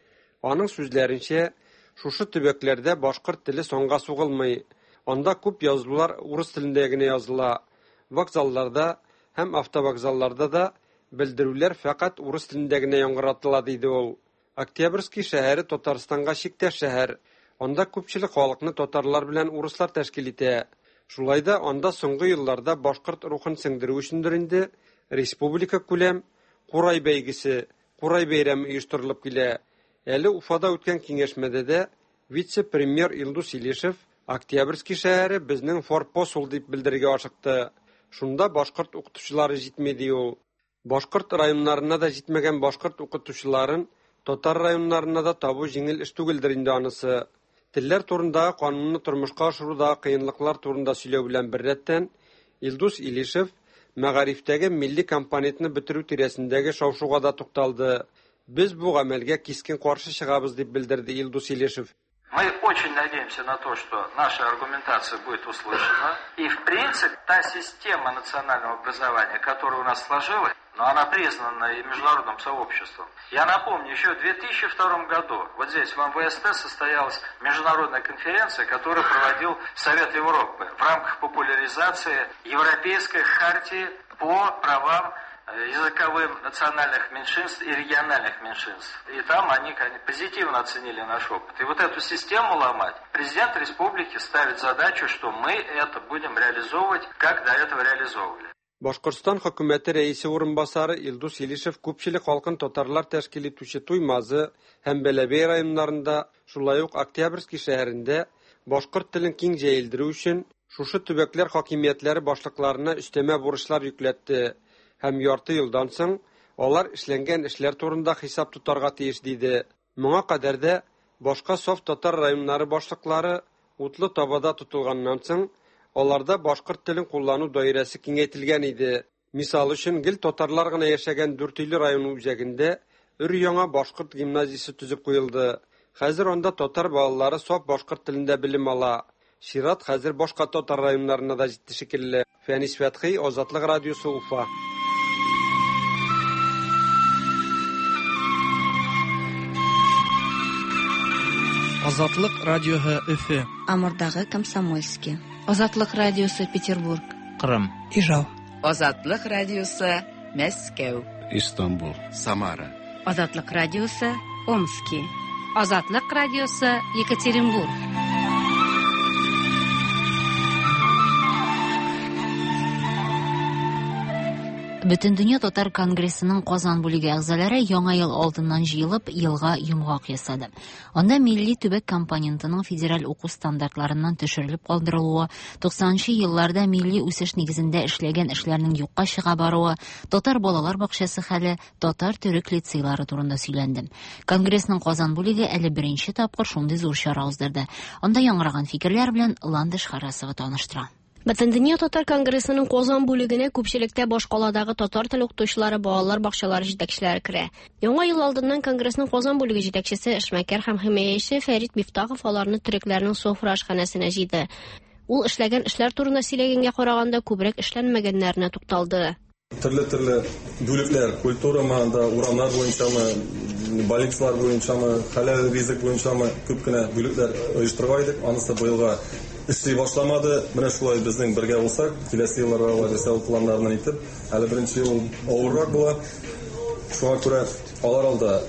Аның сүзләренчә, шушы төбәкләрдә башкорт теле санга сугылмый. Анда күп язулар урыс телендә генә языла. Вокзалларда һәм автовокзалларда да белдерүләр фәкать урыс телендә генә яңгыратыла, диде ул. Октябрьский шәһәре Татарстанга чиктәш шәһәр. Анда күпчелек халыкны татарлар белән урыслар тәшкил итә. Шулай да анда соңгы елларда башкорт рухын сеңдерү өчендер инде республика күләм Курай бәйгесе, Курай бәйрәме оештырылып килә. Әле Уфада үткән киңәшмәдә дә вице-премьер Илдус Илишев Октябрьский шәһәре безнең форпост ул дип белдерергә ашыкты. Шунда башкорт укытучылары җитми, ди ул. Башкорт районнарына да җитмәгән башкорт укытучыларын татар районнарына да табу җиңел эш түгелдер инде анысы. Телләр турындагы канунны тормышка ашырудагы кыенлыклар турында сөйләү белән беррәттән Илдус Илишев мәгарифтәге милли компонентны бетерү тирәсендәге шау-шуга да тукталды. Без бу гамәлгә кискен каршы чыгабыз, дип белдерде Илдус Илишев. Мы очень надеемся на то, что наша аргументация будет услышана. И, в принципе, та система национального образования, которая у нас сложилась, но она признана и международным сообществом. Я напомню, еще в две тысячи втором году вот здесь, в эм вэ эс тэ, состоялась международная конференция, которую проводил Совет Европы в рамках популяризации Европейской хартии по правам языковым национальных меньшинств и региональных меньшинств. И там они позитивно оценили наш опыт. И вот эту систему ломать президент республики ставит задачу, что мы это будем реализовывать, как до этого реализовывали. Башкортстан хөкүмәте рәисе урынбасары Илдус Илишев күпчелек халкын татарлар тәшкил итүче Туймазы һәм Бәләбәй районнарында, шулай ук Октябрьский шәһәрендә башкорт телен киң җәелдерү өчен шушы төбәкләр хакимиятләре башлыкларына өстәмә бурычлар йөкләтте. Һәм ярты елдан соң алар эшләнгән эшләр турында хисап тотарга тиеш, диде. Моңа кадәр дә башка саф татар районнары башлыклары утлы табада тотылганнан соң аларда башкорт телен куллану даирәсе киңәйтелгән иде. Мисал өчен, гел татарлар гына яшәгән Дүртөйле районы үзәгендә өр-яңа башкорт гимназиясе төзеп куелды. Хәзер анда татар балалары саф башкорт телендә белем ала. Чират хәзер башка татар районнарына да җитте шикелле. Фәнис Фәтхи, Азатлык радиосы, Уфа. Азатлык радиосы Өфе. Амурдагы Комсомольский. Азатлык радиосы Петербург. Кырым. Ижау. Азатлык радиосы Мәскәү. Истанбул. Самара. Азатлык радиосы Омски. Азатлык радиосы Екатеринбург. Бөтендөнья татар конгрессының Казан бүлеге әгъзалары яңа ел алдыннан җыелып, елга йомгак ясады. Анда милли төбәк компонентының федераль уку стандартларыннан төшерелеп калдырылуы, туксанынчы елларда милли үсеш нигезендә эшләгән эшләрнең юкка чыга баруы, татар балалар бакчасы хәле, татар төрек лицейлары турында сөйләнде. Конгрессның Казан бүлеге әле беренче тапкыр шундый зур чара уздырды. Анда яңгыраган фикерләр белән Ландыш Харасова таныштыра. Бөтендөнья татар конгрессының Казан бүлегенә күпчелектә башкаладагы татар теле укытучылары, балалар бакчалары җитәкчеләре керә. Яңа ел алдыннан конгрессның Казан бүлеге җитәкчесе, эшмәкәр һәм химаячы Фәрит Мифтахов аларны төрекләрнең Софра ашханәсенә җыйды. Ул эшләгән эшләр турында сөйләгәнгә караганда күбрәк эшләнмәгәннәренә тукталды. Төрле-төрле бүлекләр, культурамы, анда урамнар буенчамы, больницалар буенчамы, хәләл ризык буенчамы күп кенә бүлекләр оештырган идек. Анысы быелга эшли башламады. Менә шулай безнең бергә булсак, киләсе елларга алай ул планнарны итеп, әле беренче ел авыррак була. Шуңа күрә алар алда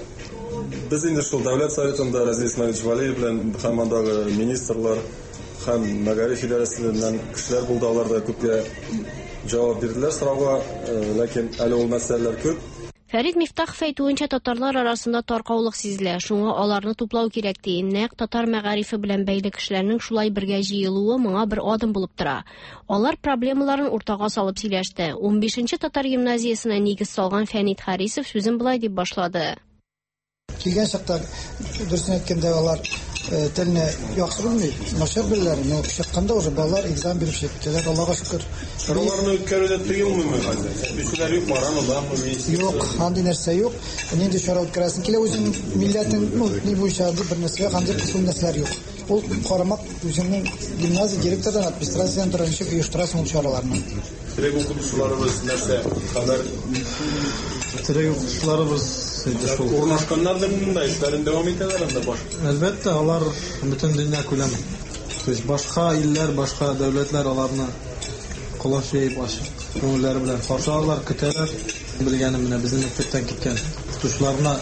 без инде шул Дәүләт Советында Разил Исмаилович Валиев белән һәм андагы министрлар һәм мәгариф идарәсеннән кешеләр булды, алар да күпкә җавап бирделәр сорауга, ләкин әле ул мәсьәләләр күп. Фәрит Мифтахов әйтүенчә, татарлар арасында таркаулык сизелә, шуңа аларны туплау кирәк ди. Нәкъ татар мәгарифе белән бәйле кешеләрнең шулай бергә җыелуы моңа бер адым булып тора. Алар проблемаларын уртага салып сөйләште. унбишенче татар гимназиясенә нигез салган Фәнит Харисов сүзен болай дип башлады. Килгән чакта, дөресен әйткәндә, алар телне яхшы белми, начар беләләр, но чыкканда уже балалар экзамен биреп чыгып китәләр, Аллага шөкер. Чараларны үткәрүдә тыелмыймы хәзер? Кешеләр юк, барамы, бармы? Юк, андый нәрсә юк. Нинди чара үткәрәсең килә, үзең милләтең, ну, ни буенча бер нәрсә, андый кысым нәрсәләр юк. Ул карамак үзеңнең гимназия директордан, администрациядән тора, ничек оештырасың ул чараларны. Терек укытучыларыбыз нәрсә, хәбәр? Терек укытучыларыбыз шул. Урнашканнар да монда эшләрен дәвам итәләр анда баш. Әлбәттә, алар бөтен дөнья күләме. То есть башка илләр, башка дәүләтләр аларны колач җәеп ачык күңелләре белән каршы алалар, көтәләр. Белгәнем менә безнең мәктәптән киткән укытучыларына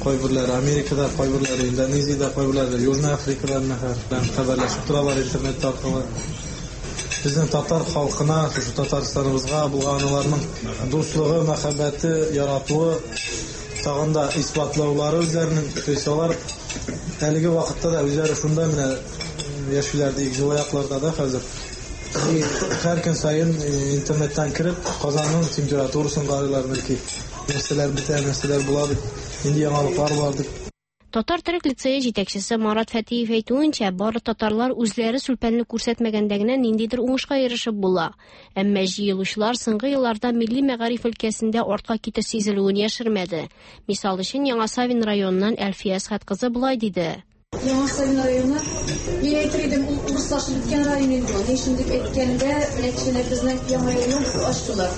кайберләре Америкада, кайберләре Индонезиядә, кайберләре Южный Африкада белән хәбәрләшеп торалар интернет аркылы. Безнең татар халкына, шушы Татарстаныбызга булган аларның дуслыгы, мәхәббәте, яратуы тагын да исбатлаулары үзләренең, то есть алар әлеге вакытта да үзләре шунда менә яшиләр диек, җылы якларда да хәзер. Һәр көн саен интернеттан кереп, Казанның температурасын карыйлар, бәлки нәрсәләр бетә, нәрсәләр була дип, нинди яңалыклар бар дип. Татар төрек лицее җитәкчесе Марат Фәтиев әйтүенчә, бары татарлар үзләре сүлпәнлек күрсәтмәгәндә генә ниндидер уңышка ирешеп була. Әмма җыелучылар соңгы елларда милли мәгариф өлкәсендә артка китеш сизелүен яшермәде. Мисал өчен, Яңа Савин районыннан Әлфия Әсхәт кызы болай диде. Яңа Савин районы, мин әйтер идем, ул урыслашып беткән район инде ул. Ни өчен дип әйткәндә, менә кичәнә безнең яңа елны ачтылар.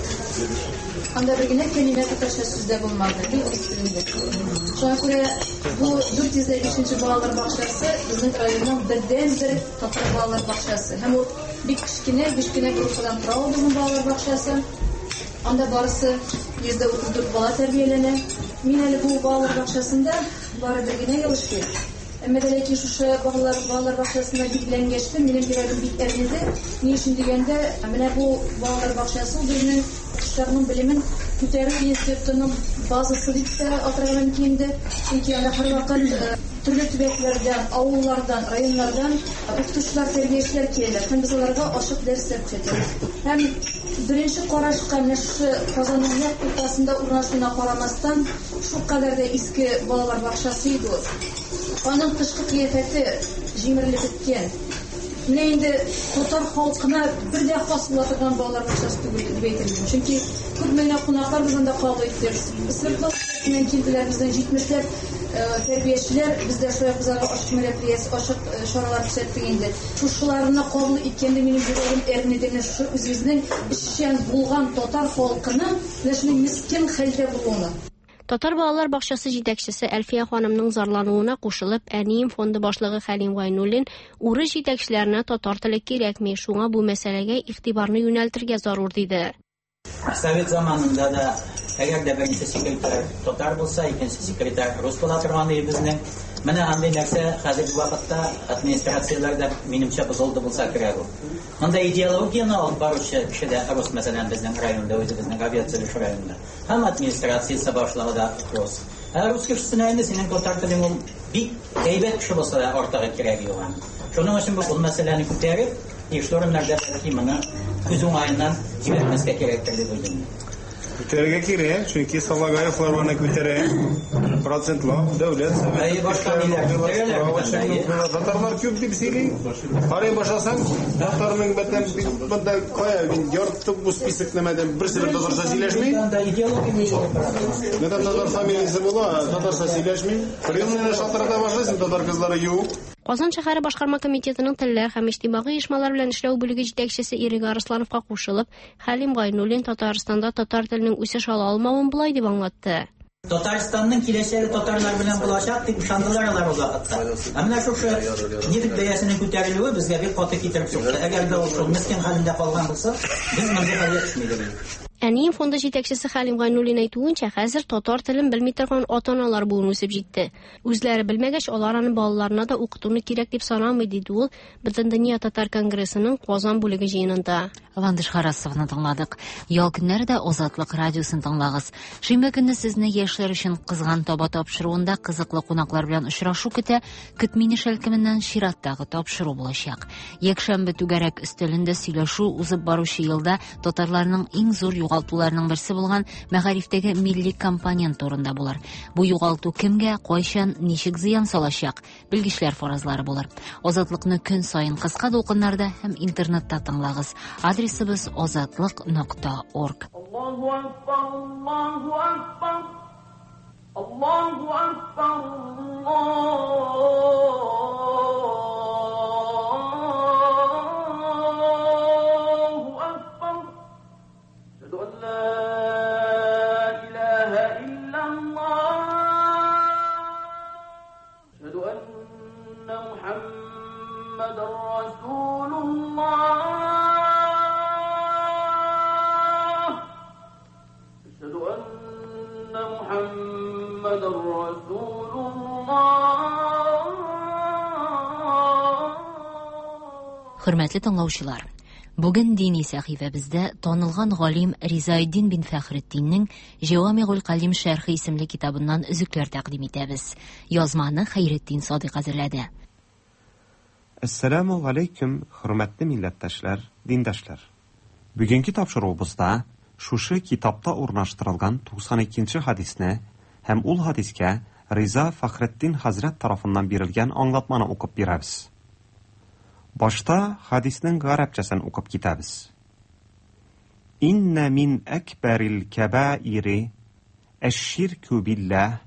Анда бер генә кәлимә татарча сүз дә булмады, бик урыс телендә. Шуңа күрә бу дүрт йөз бишенче балалар бакчасы безнең районның бердәнбер татар балалар бакчасы. Һәм ул бик кечкенә, биш кенә группадан тора ул безнең балалар бакчасы. Анда барысы йөз дә утыз дүрт бала тәрбияләнә. Мин әле бу балалар бакчасында бары бер генә ел эшлим. Әмма дә ләкин шушы балалар балалар бакчасына билгеләнгәчтен минем йөрәгем бик әрнеде. Ни өчен дигәндә, менә бу балалар бакчасы безнең укытучыларның белемен күтәрү институтының базасы дип тә атарга мөмкин инде. Чөнки анда һәрвакыт төрле төбәкләрдән, авыллардан, районнардан укытучылар, тәрбиячеләр киләләр. Һәм без аларга ачык дәресләр күрсәтәбез. Һәм беренче карашка менә шушы Казанның нәкъ уртасында урнашуына карамастан, шул кадәр дә иске балалар бакчасы иде ул. Аның тышкы кыяфәте җимерелеп беткән. Менә инде татар халкына бер дә хас була торган балалар бакчасы түгел дип әйтер идем. Чөнки күпме генә кунаклар без анда кабул иттек. Свердловскидан килделәр, безнең җитмешләп тәрбиячеләр, бездә шулай без аларга ачык мероприятие, ачык чаралар күрсәттек инде. Шушыларны кабул иткәндә минем йөрәгем әрнеде. Менә шушы үзебезнең эшчән булган татар халкының менә шундый мескен хәлдә булуына. Татар балалар бакчасы җитәкчесе Әлфия ханымның зарлануына кушылып, Әнием фонды башлыгы Хәлим Гайнуллин урыс җитәкчеләренә татар теле кирәкми, шуңа бу мәсьәләгә игътибарны юнәлтергә зарур диде. Совет заманында да әгәр дә беренче секретарь татар булса, икенче секретарь рус була торган иде безнең. Менә андый нәрсә хәзерге вакытта администрацияләрдә минемчә бозылды булса кирәк ул. Монда идеологияне алып баручы кеше дә рус, мәсәлән, безнең районда, үзебезнең авиация районында. Һәм администрациясе башлыгы да рус. Ә рус кешесенә инде синең татар телең ул бик әйбәт кеше булса да артыгы кирәге юк аның. Шуның өчен бу мәсьәләне күтәреп, тиешле урыннарда бәлки моны күз уңаеннан җибәрмәскә кирәктер дип уйлыйм. Күтәрергә кирәк, чөнки Салагаевлар аны күтәрә. Процентлап дәүләт Әйе, башка ниләр күтәрәләр бит анда, әйе. Татарлар күп дип сөйли. Карый башласаң, татарның бәтән монда кая мин ярты бу список нәмәдән берсе бер татарча сөйләшми. Анда идеология ничек бара? Нәдән татар фамилиясе була, татарча сөйләшми. Приемныйны шалтырата башлыйсың, татар кызлары юк. Казан шәһәре башкарма комитетының телләр һәм иҗтимагый оешмалар белән эшләү бүлеге җитәкчесе Ирек Арыслановка кушылып, Хәлим Гайнуллин Татарстанда татар теленең үсеш ала алмавын болай дип аңлатты. Татарстанның киләчәге татарлар белән булачак дип ышандылар алар ул вакытта. Ә менә шушы нефть бәясенең күтәрелүе безгә бик каты китереп сукты. Әгәр дә ул шул мескен хәлендә калган булса, без мондый хәлгә төшми идек. Әнием фонды җитәкчесе Хәлим Гайнуллин әйтүенчә, хәзер татар телен белми торган ата-аналар буын үсеп җитте. Үзләре белмәгәч, алар аны балаларына да укытуны кирәк дип санамый, диде ул Бөтендөнья татар конгрессының Казан бүлеге җыенында. Ландыш Харасовны тыңладык. Ял көннәре дә Азатлык радиосын тыңлагыз. Шимбә көнне сезне яшьләр өчен кызган таба тапшыруында кызыклы кунаклар белән очрашу көтә. Көтмине шәлкеменнән чираттагы тапшыру булачак. Якшәмбе түгәрәк өстәлендә сөйләшү узып баручы елда татарларның иң зур югалтуларының берсе булган мәгарифтәге милли компонент турында булыр. Бу югалту кемгә, кайчан, ничек зыян салачак? Белгечләр фаразлары булыр. Азатлыкны көн саен кыска дулкыннарда һәм интернетта тыңлагыз. Адресыбыз азатлык нокта орг. Аллаһу акбар, Аллаһу акбар, Аллаһу акбар, Аллаһу акбар. Әшһәду ан ла илаһа иллаллаһ. Әшһәду анна Мухаммадан расулуллаһ. Әшһәду анна Мухаммадан расулуллаһ. Хөрмәтле тыңлаучылар, бүген дини сәхифәбездә танылган галим Ризаэддин бин Фәхретдиннең Җавамигул Калим шәрхе исемле китабыннан өзекләр тәкъдим итәбез. Язманы Хәйретдин Садыйк әзерләде. Әссәламу алейкум, хөрмәтле милләттәшләр, диндашлар. Бүгенге тапшыруыбызда шушы китапта урнаштырылган туксан икенче хадисне һәм ул хадискә Риза Фәхретдин хәзрәт тарафыннан бирелгән аңлатманы укып бирәбез. Башта хадиснең гарәпчәсен укып китәбез. Инна мин әкбәрил кәбаири әш-ширку биллаһ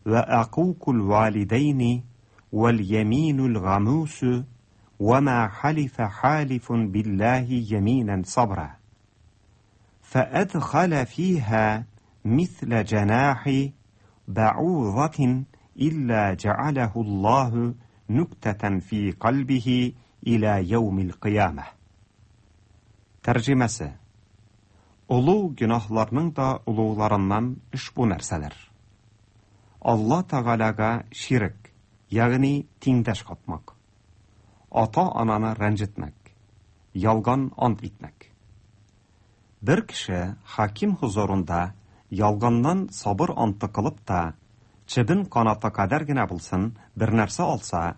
ва акукул валидайни вал яминул гамусу ва ма халифа халифун биллаһи яминан сабра. فأدخل فيها مثل جناح بعوضة إلا جعله الله نكتة في قلبه إلى يوم القيامة. Тәрҗемәсе: Олуг гөнаһларның да олугларыннан ошбу нәрсәләр. Алла Тәгаләгә ширк, ягъни тиңдәш катмак, ата-ананы рәнҗетмәк, ялган ант итмәк. Бер кеше хаким хузурында ялганнан сабыр анты кылып та, чебен канаты кадәр генә булсын, бер нәрсә алса,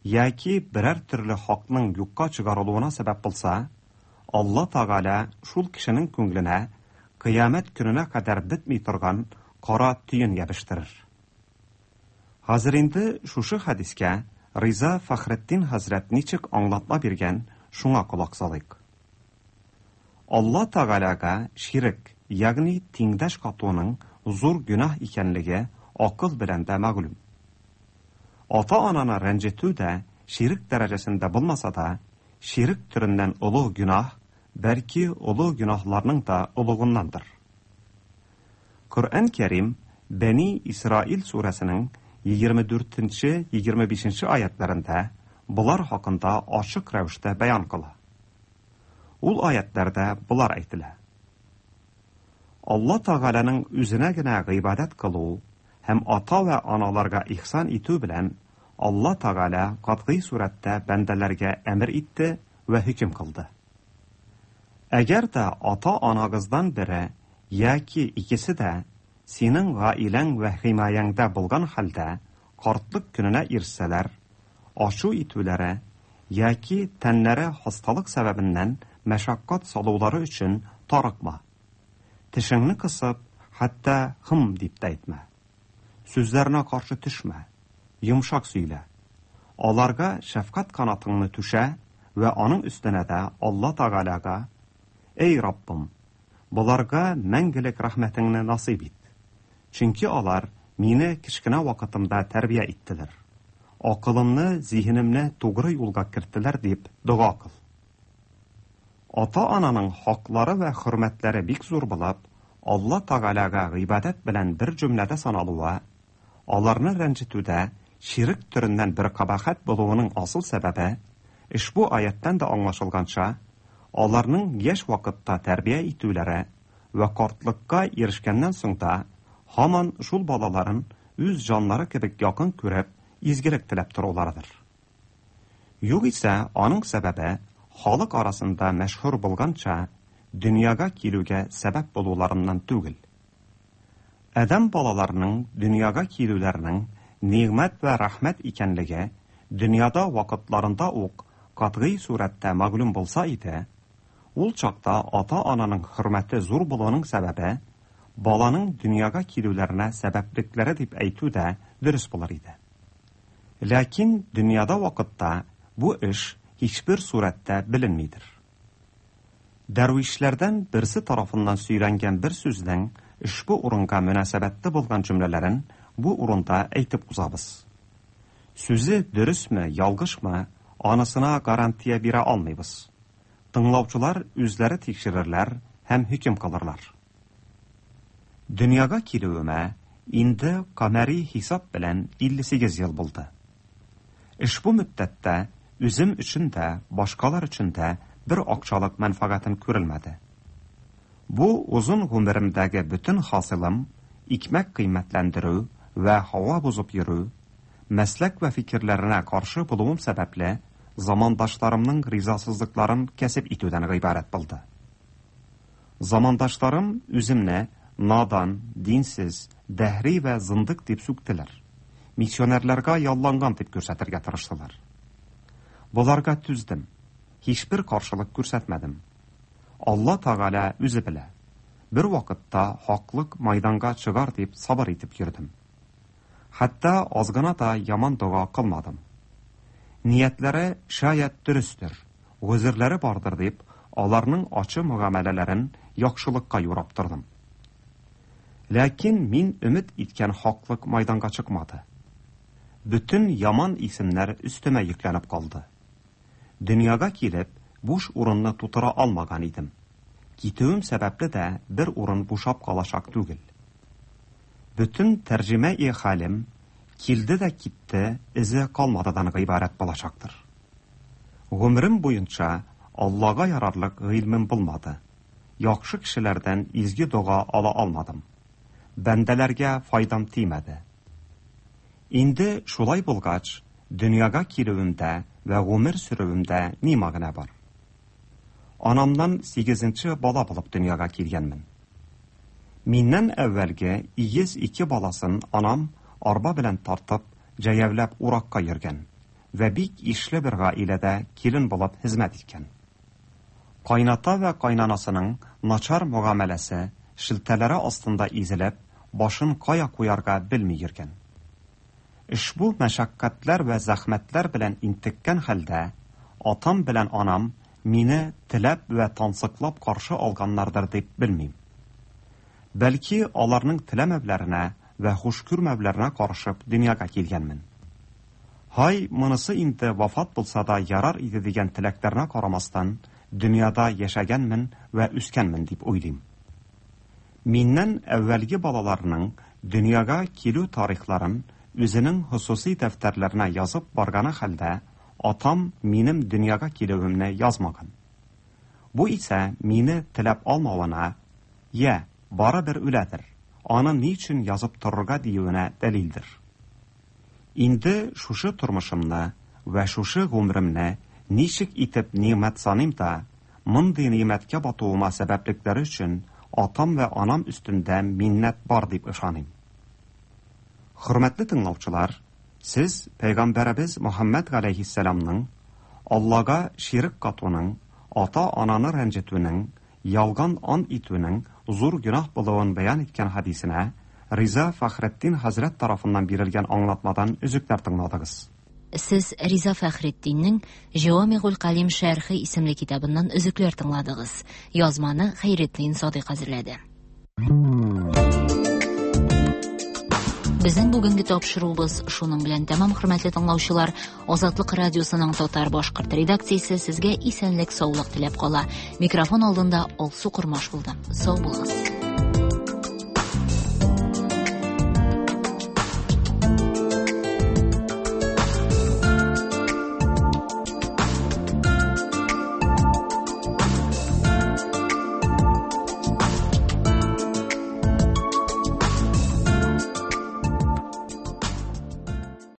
яки берәр төрле хакның юкка чыгарылуына сәбәп булса, Алла Тәгалә шул кешенең күңеленә кыямәт көненә кадәр бетми торган кара төен ябыштырыр. Хәзер инде шушы хадискә Риза Фәхретдин хәзрәт ничек аңлатма биргән, шуңа колак салыйк. Алла Тәгаләгә ширк, ягъни тиңдәш катуның зур гөнаһ икәнлеге акыл белән дә мәгълүм. Ата-ананы рәнҗетү дә ширк дәрәҗәсендә булмаса да, ширк төреннән олуг гөнаһ, бәлки олуг гөнаһларның да олугыннандыр. Коръән Кәрим Бәни Исраил сүрәсенең егерме дүртенче, егерме бишенче аятларында болар хакында ачык рәвештә бәян кыла. Ул аятларда болар әйтелә. Алла Тәгаләнең үзенә генә гыйбадәт кылу һәм ата вә аналарга ихсан итү белән Алла Тәгалә катгый сурәттә бәндәләргә әмер итте вә хөкем кылды. Әгәр дә ата-анагыздан бере яки икесе дә синең гаиләң вә химаяңда булган хәлдә картлык көненә ирешсәләр, ашу итүләре яки тәннәре хасталык сәбәбеннән мәшәкать салулары өчен тарыкма. Тешеңне кысып, хәтта "хым" дип тә әйтмә. Сүзләренә каршы төшмә, йомшак сөйлә. Аларга шәфкать канатыңны түшә вә аның өстенә дә Алла Тәгаләгә: "Эй Раббым, боларга мәңгелек рәхмәтеңне насыйп ит. Чөнки алар мине кечкенә вакытымда тәрбия иттеләр. Акылымны, зиһенемне тугры юлга керттеләр" дип дога кыл. Ата-ананың хаклары вә хөрмәтләре бик зур булып, Алла Тәгаләгә гыйбадәт белән бер җөмләдә саналуы, аларны рәнҗетүдә ширк төреннән бер кабахәт булуының асыл сәбәбе, ошбу аяттан да аңлашылганча, аларның яшь вакытта тәрбия итүләре вә картлыкка ирешкәннән соң да һаман шул балаларын үз җаннары кебек якын күреп, изгелек теләп торуларыдыр. Югыйсә, аның сәбәбе халык арасында мәшһүр булганча дөньяга килүгә сәбәп булуларыннан түгел. Адәм балаларының дөньяга килүләренең нигъмәт вә рәхмәт икәнлеге дөньяда вакытларында ук катгый сурәттә мәгълүм булса иде, ул чакта ата-ананың хөрмәте зур булуының сәбәбе баланың дөньяга килүләренә сәбәплекләре дип әйтү дә дөрес булыр иде. Ләкин дөньяда вакытта бу эш һичбер сурәттә беленмидер. Дәрвишләрдән берсе тарафыннан сөйләнгән бер сүзнең ошбу урынга мөнәсәбәтле булган җөмләләрен бу урында әйтеп узабыз. Сүзе дөресме, ялгышмы, анысына гарантия бирә алмыйбыз. Тыңлаучылар үзләре тикшерерләр һәм хөкем кылырлар. Дөньяга килүемә инде камәри хисап белән илле сигез ел булды. Ошбу мөддәттә үзем өчен дә, башкалар өчен дә бер акчалык мәнфәгатем күрелмәде. Бу озын гомеремдәге бөтен хасилым икмәк кыйммәтләндерү вә һава бозып йөрү, мәсләк вә фикерләренә каршы булуым сәбәпле замандашларымның ризасызлыкларын кәсеп итүдән гыйбарәт булды. Замандашларым үземне надан, динсез, дәһри вә зындык дип сүктеләр. Миссионерларга ялланган дип күрсәтергә тырыштылар. Боларга түздем. Һичбер каршылык күрсәтмәдем. Алла Тәгалә үзе белә. Бер вакытта хаклык майданга чыгар дип сабыр итеп йөрдем. Хәтта аз гына да яман дога кылмадым. Ниятләре шаять дөрестер, гозерләре бардыр дип, аларның ачы мөгамәләләрен яхшылыкка юрап тордым. Ләкин мин өмет иткән хаклык майданга чыкмады. Бөтен яман исемнәр өстемә йөкләнеп калды. Дөньяга килеп, буш урынны тутыра алмаган идем. Китүем сәбәпле дә бер урын бушап калачак түгел. Бөтен тәрҗемә-и хәлем килде дә китте, эзе калмадыдан гыйбарәт булачактыр. Гомерем буенча Аллага ярарлык гыйльмем булмады. Яхшы кешеләрдән изге дога ала алмадым. Бәндәләргә файдам тимәде. Инде шулай булгач, дөньяга килүемдә вә гомер сөрүемдә ни мәгънә бар? Анамнан сигезенче бала булып дөньяга килгәнмен. Миннән әүвәлге игез ике баласын анам арба белән тартып, җәяүләп уракка йөргән вә бик ишле бер гаиләдә килен булып хезмәт иткән. Кайната вә кайнанасының начар мөгамәләсе шелтәләре астында изелеп, башын кая куярга белми йөргән. Ошбу мәшәкатьләр вә зәхмәтләр белән интеккән хәлдә, атам белән анам мине теләп вә тансыклап каршы алганнардыр дип белмим. Бәлки аларның теләмәүләренә вә хуш күрмәүләренә карышып дөньяга килгәнмен. Һай, монысы инде вафат булса да ярар иде дигән теләкләренә карамастан, дөньяда яшәгәнмен вә үскәнмен дип уйлыйм. Миннән әүвәлге балаларының дөньяга килү тарихларын үзенең хосусый дәфтәрләренә язып барганы хәлдә, атам минем дөньяга килүемне язмаган. Бу исә мине теләп алмавына, я барыбер үләдер, аны ни өчен язып торырга диюенә дәлилдер. Инде шушы тормышымны вә шушы гомеремне ничек итеп нигъмәт саныйм да, мондый нигъмәткә батуыма сәбәплекләре өчен атам вә анам өстендә миннәт бар дип ышаныйм. Хөрмәтле тыңлаучылар, сез Пәйгамбәребез Мөхәммәд галәйһиссәламның Аллага ширк катуның, ата-ананы рәнҗетүнең, Ялган ант итүнең зур гөнаһ булуын бәян иткән хәдисенә Риза Фәхретдин хәзрәт тарафыннан бирелгән аңлатмадан өзекләр тыңладыгыз. Сез Риза Фәхретдиннең Җавамигуль Калим шәрхе исемле китабыннан өзекләр тыңладыгыз. Язманы Хәйретдин Садыйк әзерләде. Безнең бүгенге тапшыруыбыз шуның белән тәмам, хөрмәтле тыңлаучылар. Азатлык радиосының татар башкорт редакциясе сезгә исәнлек, саулык теләп кала. Микрофон алдында Алсу Кормаш булды. Сау булыгыз.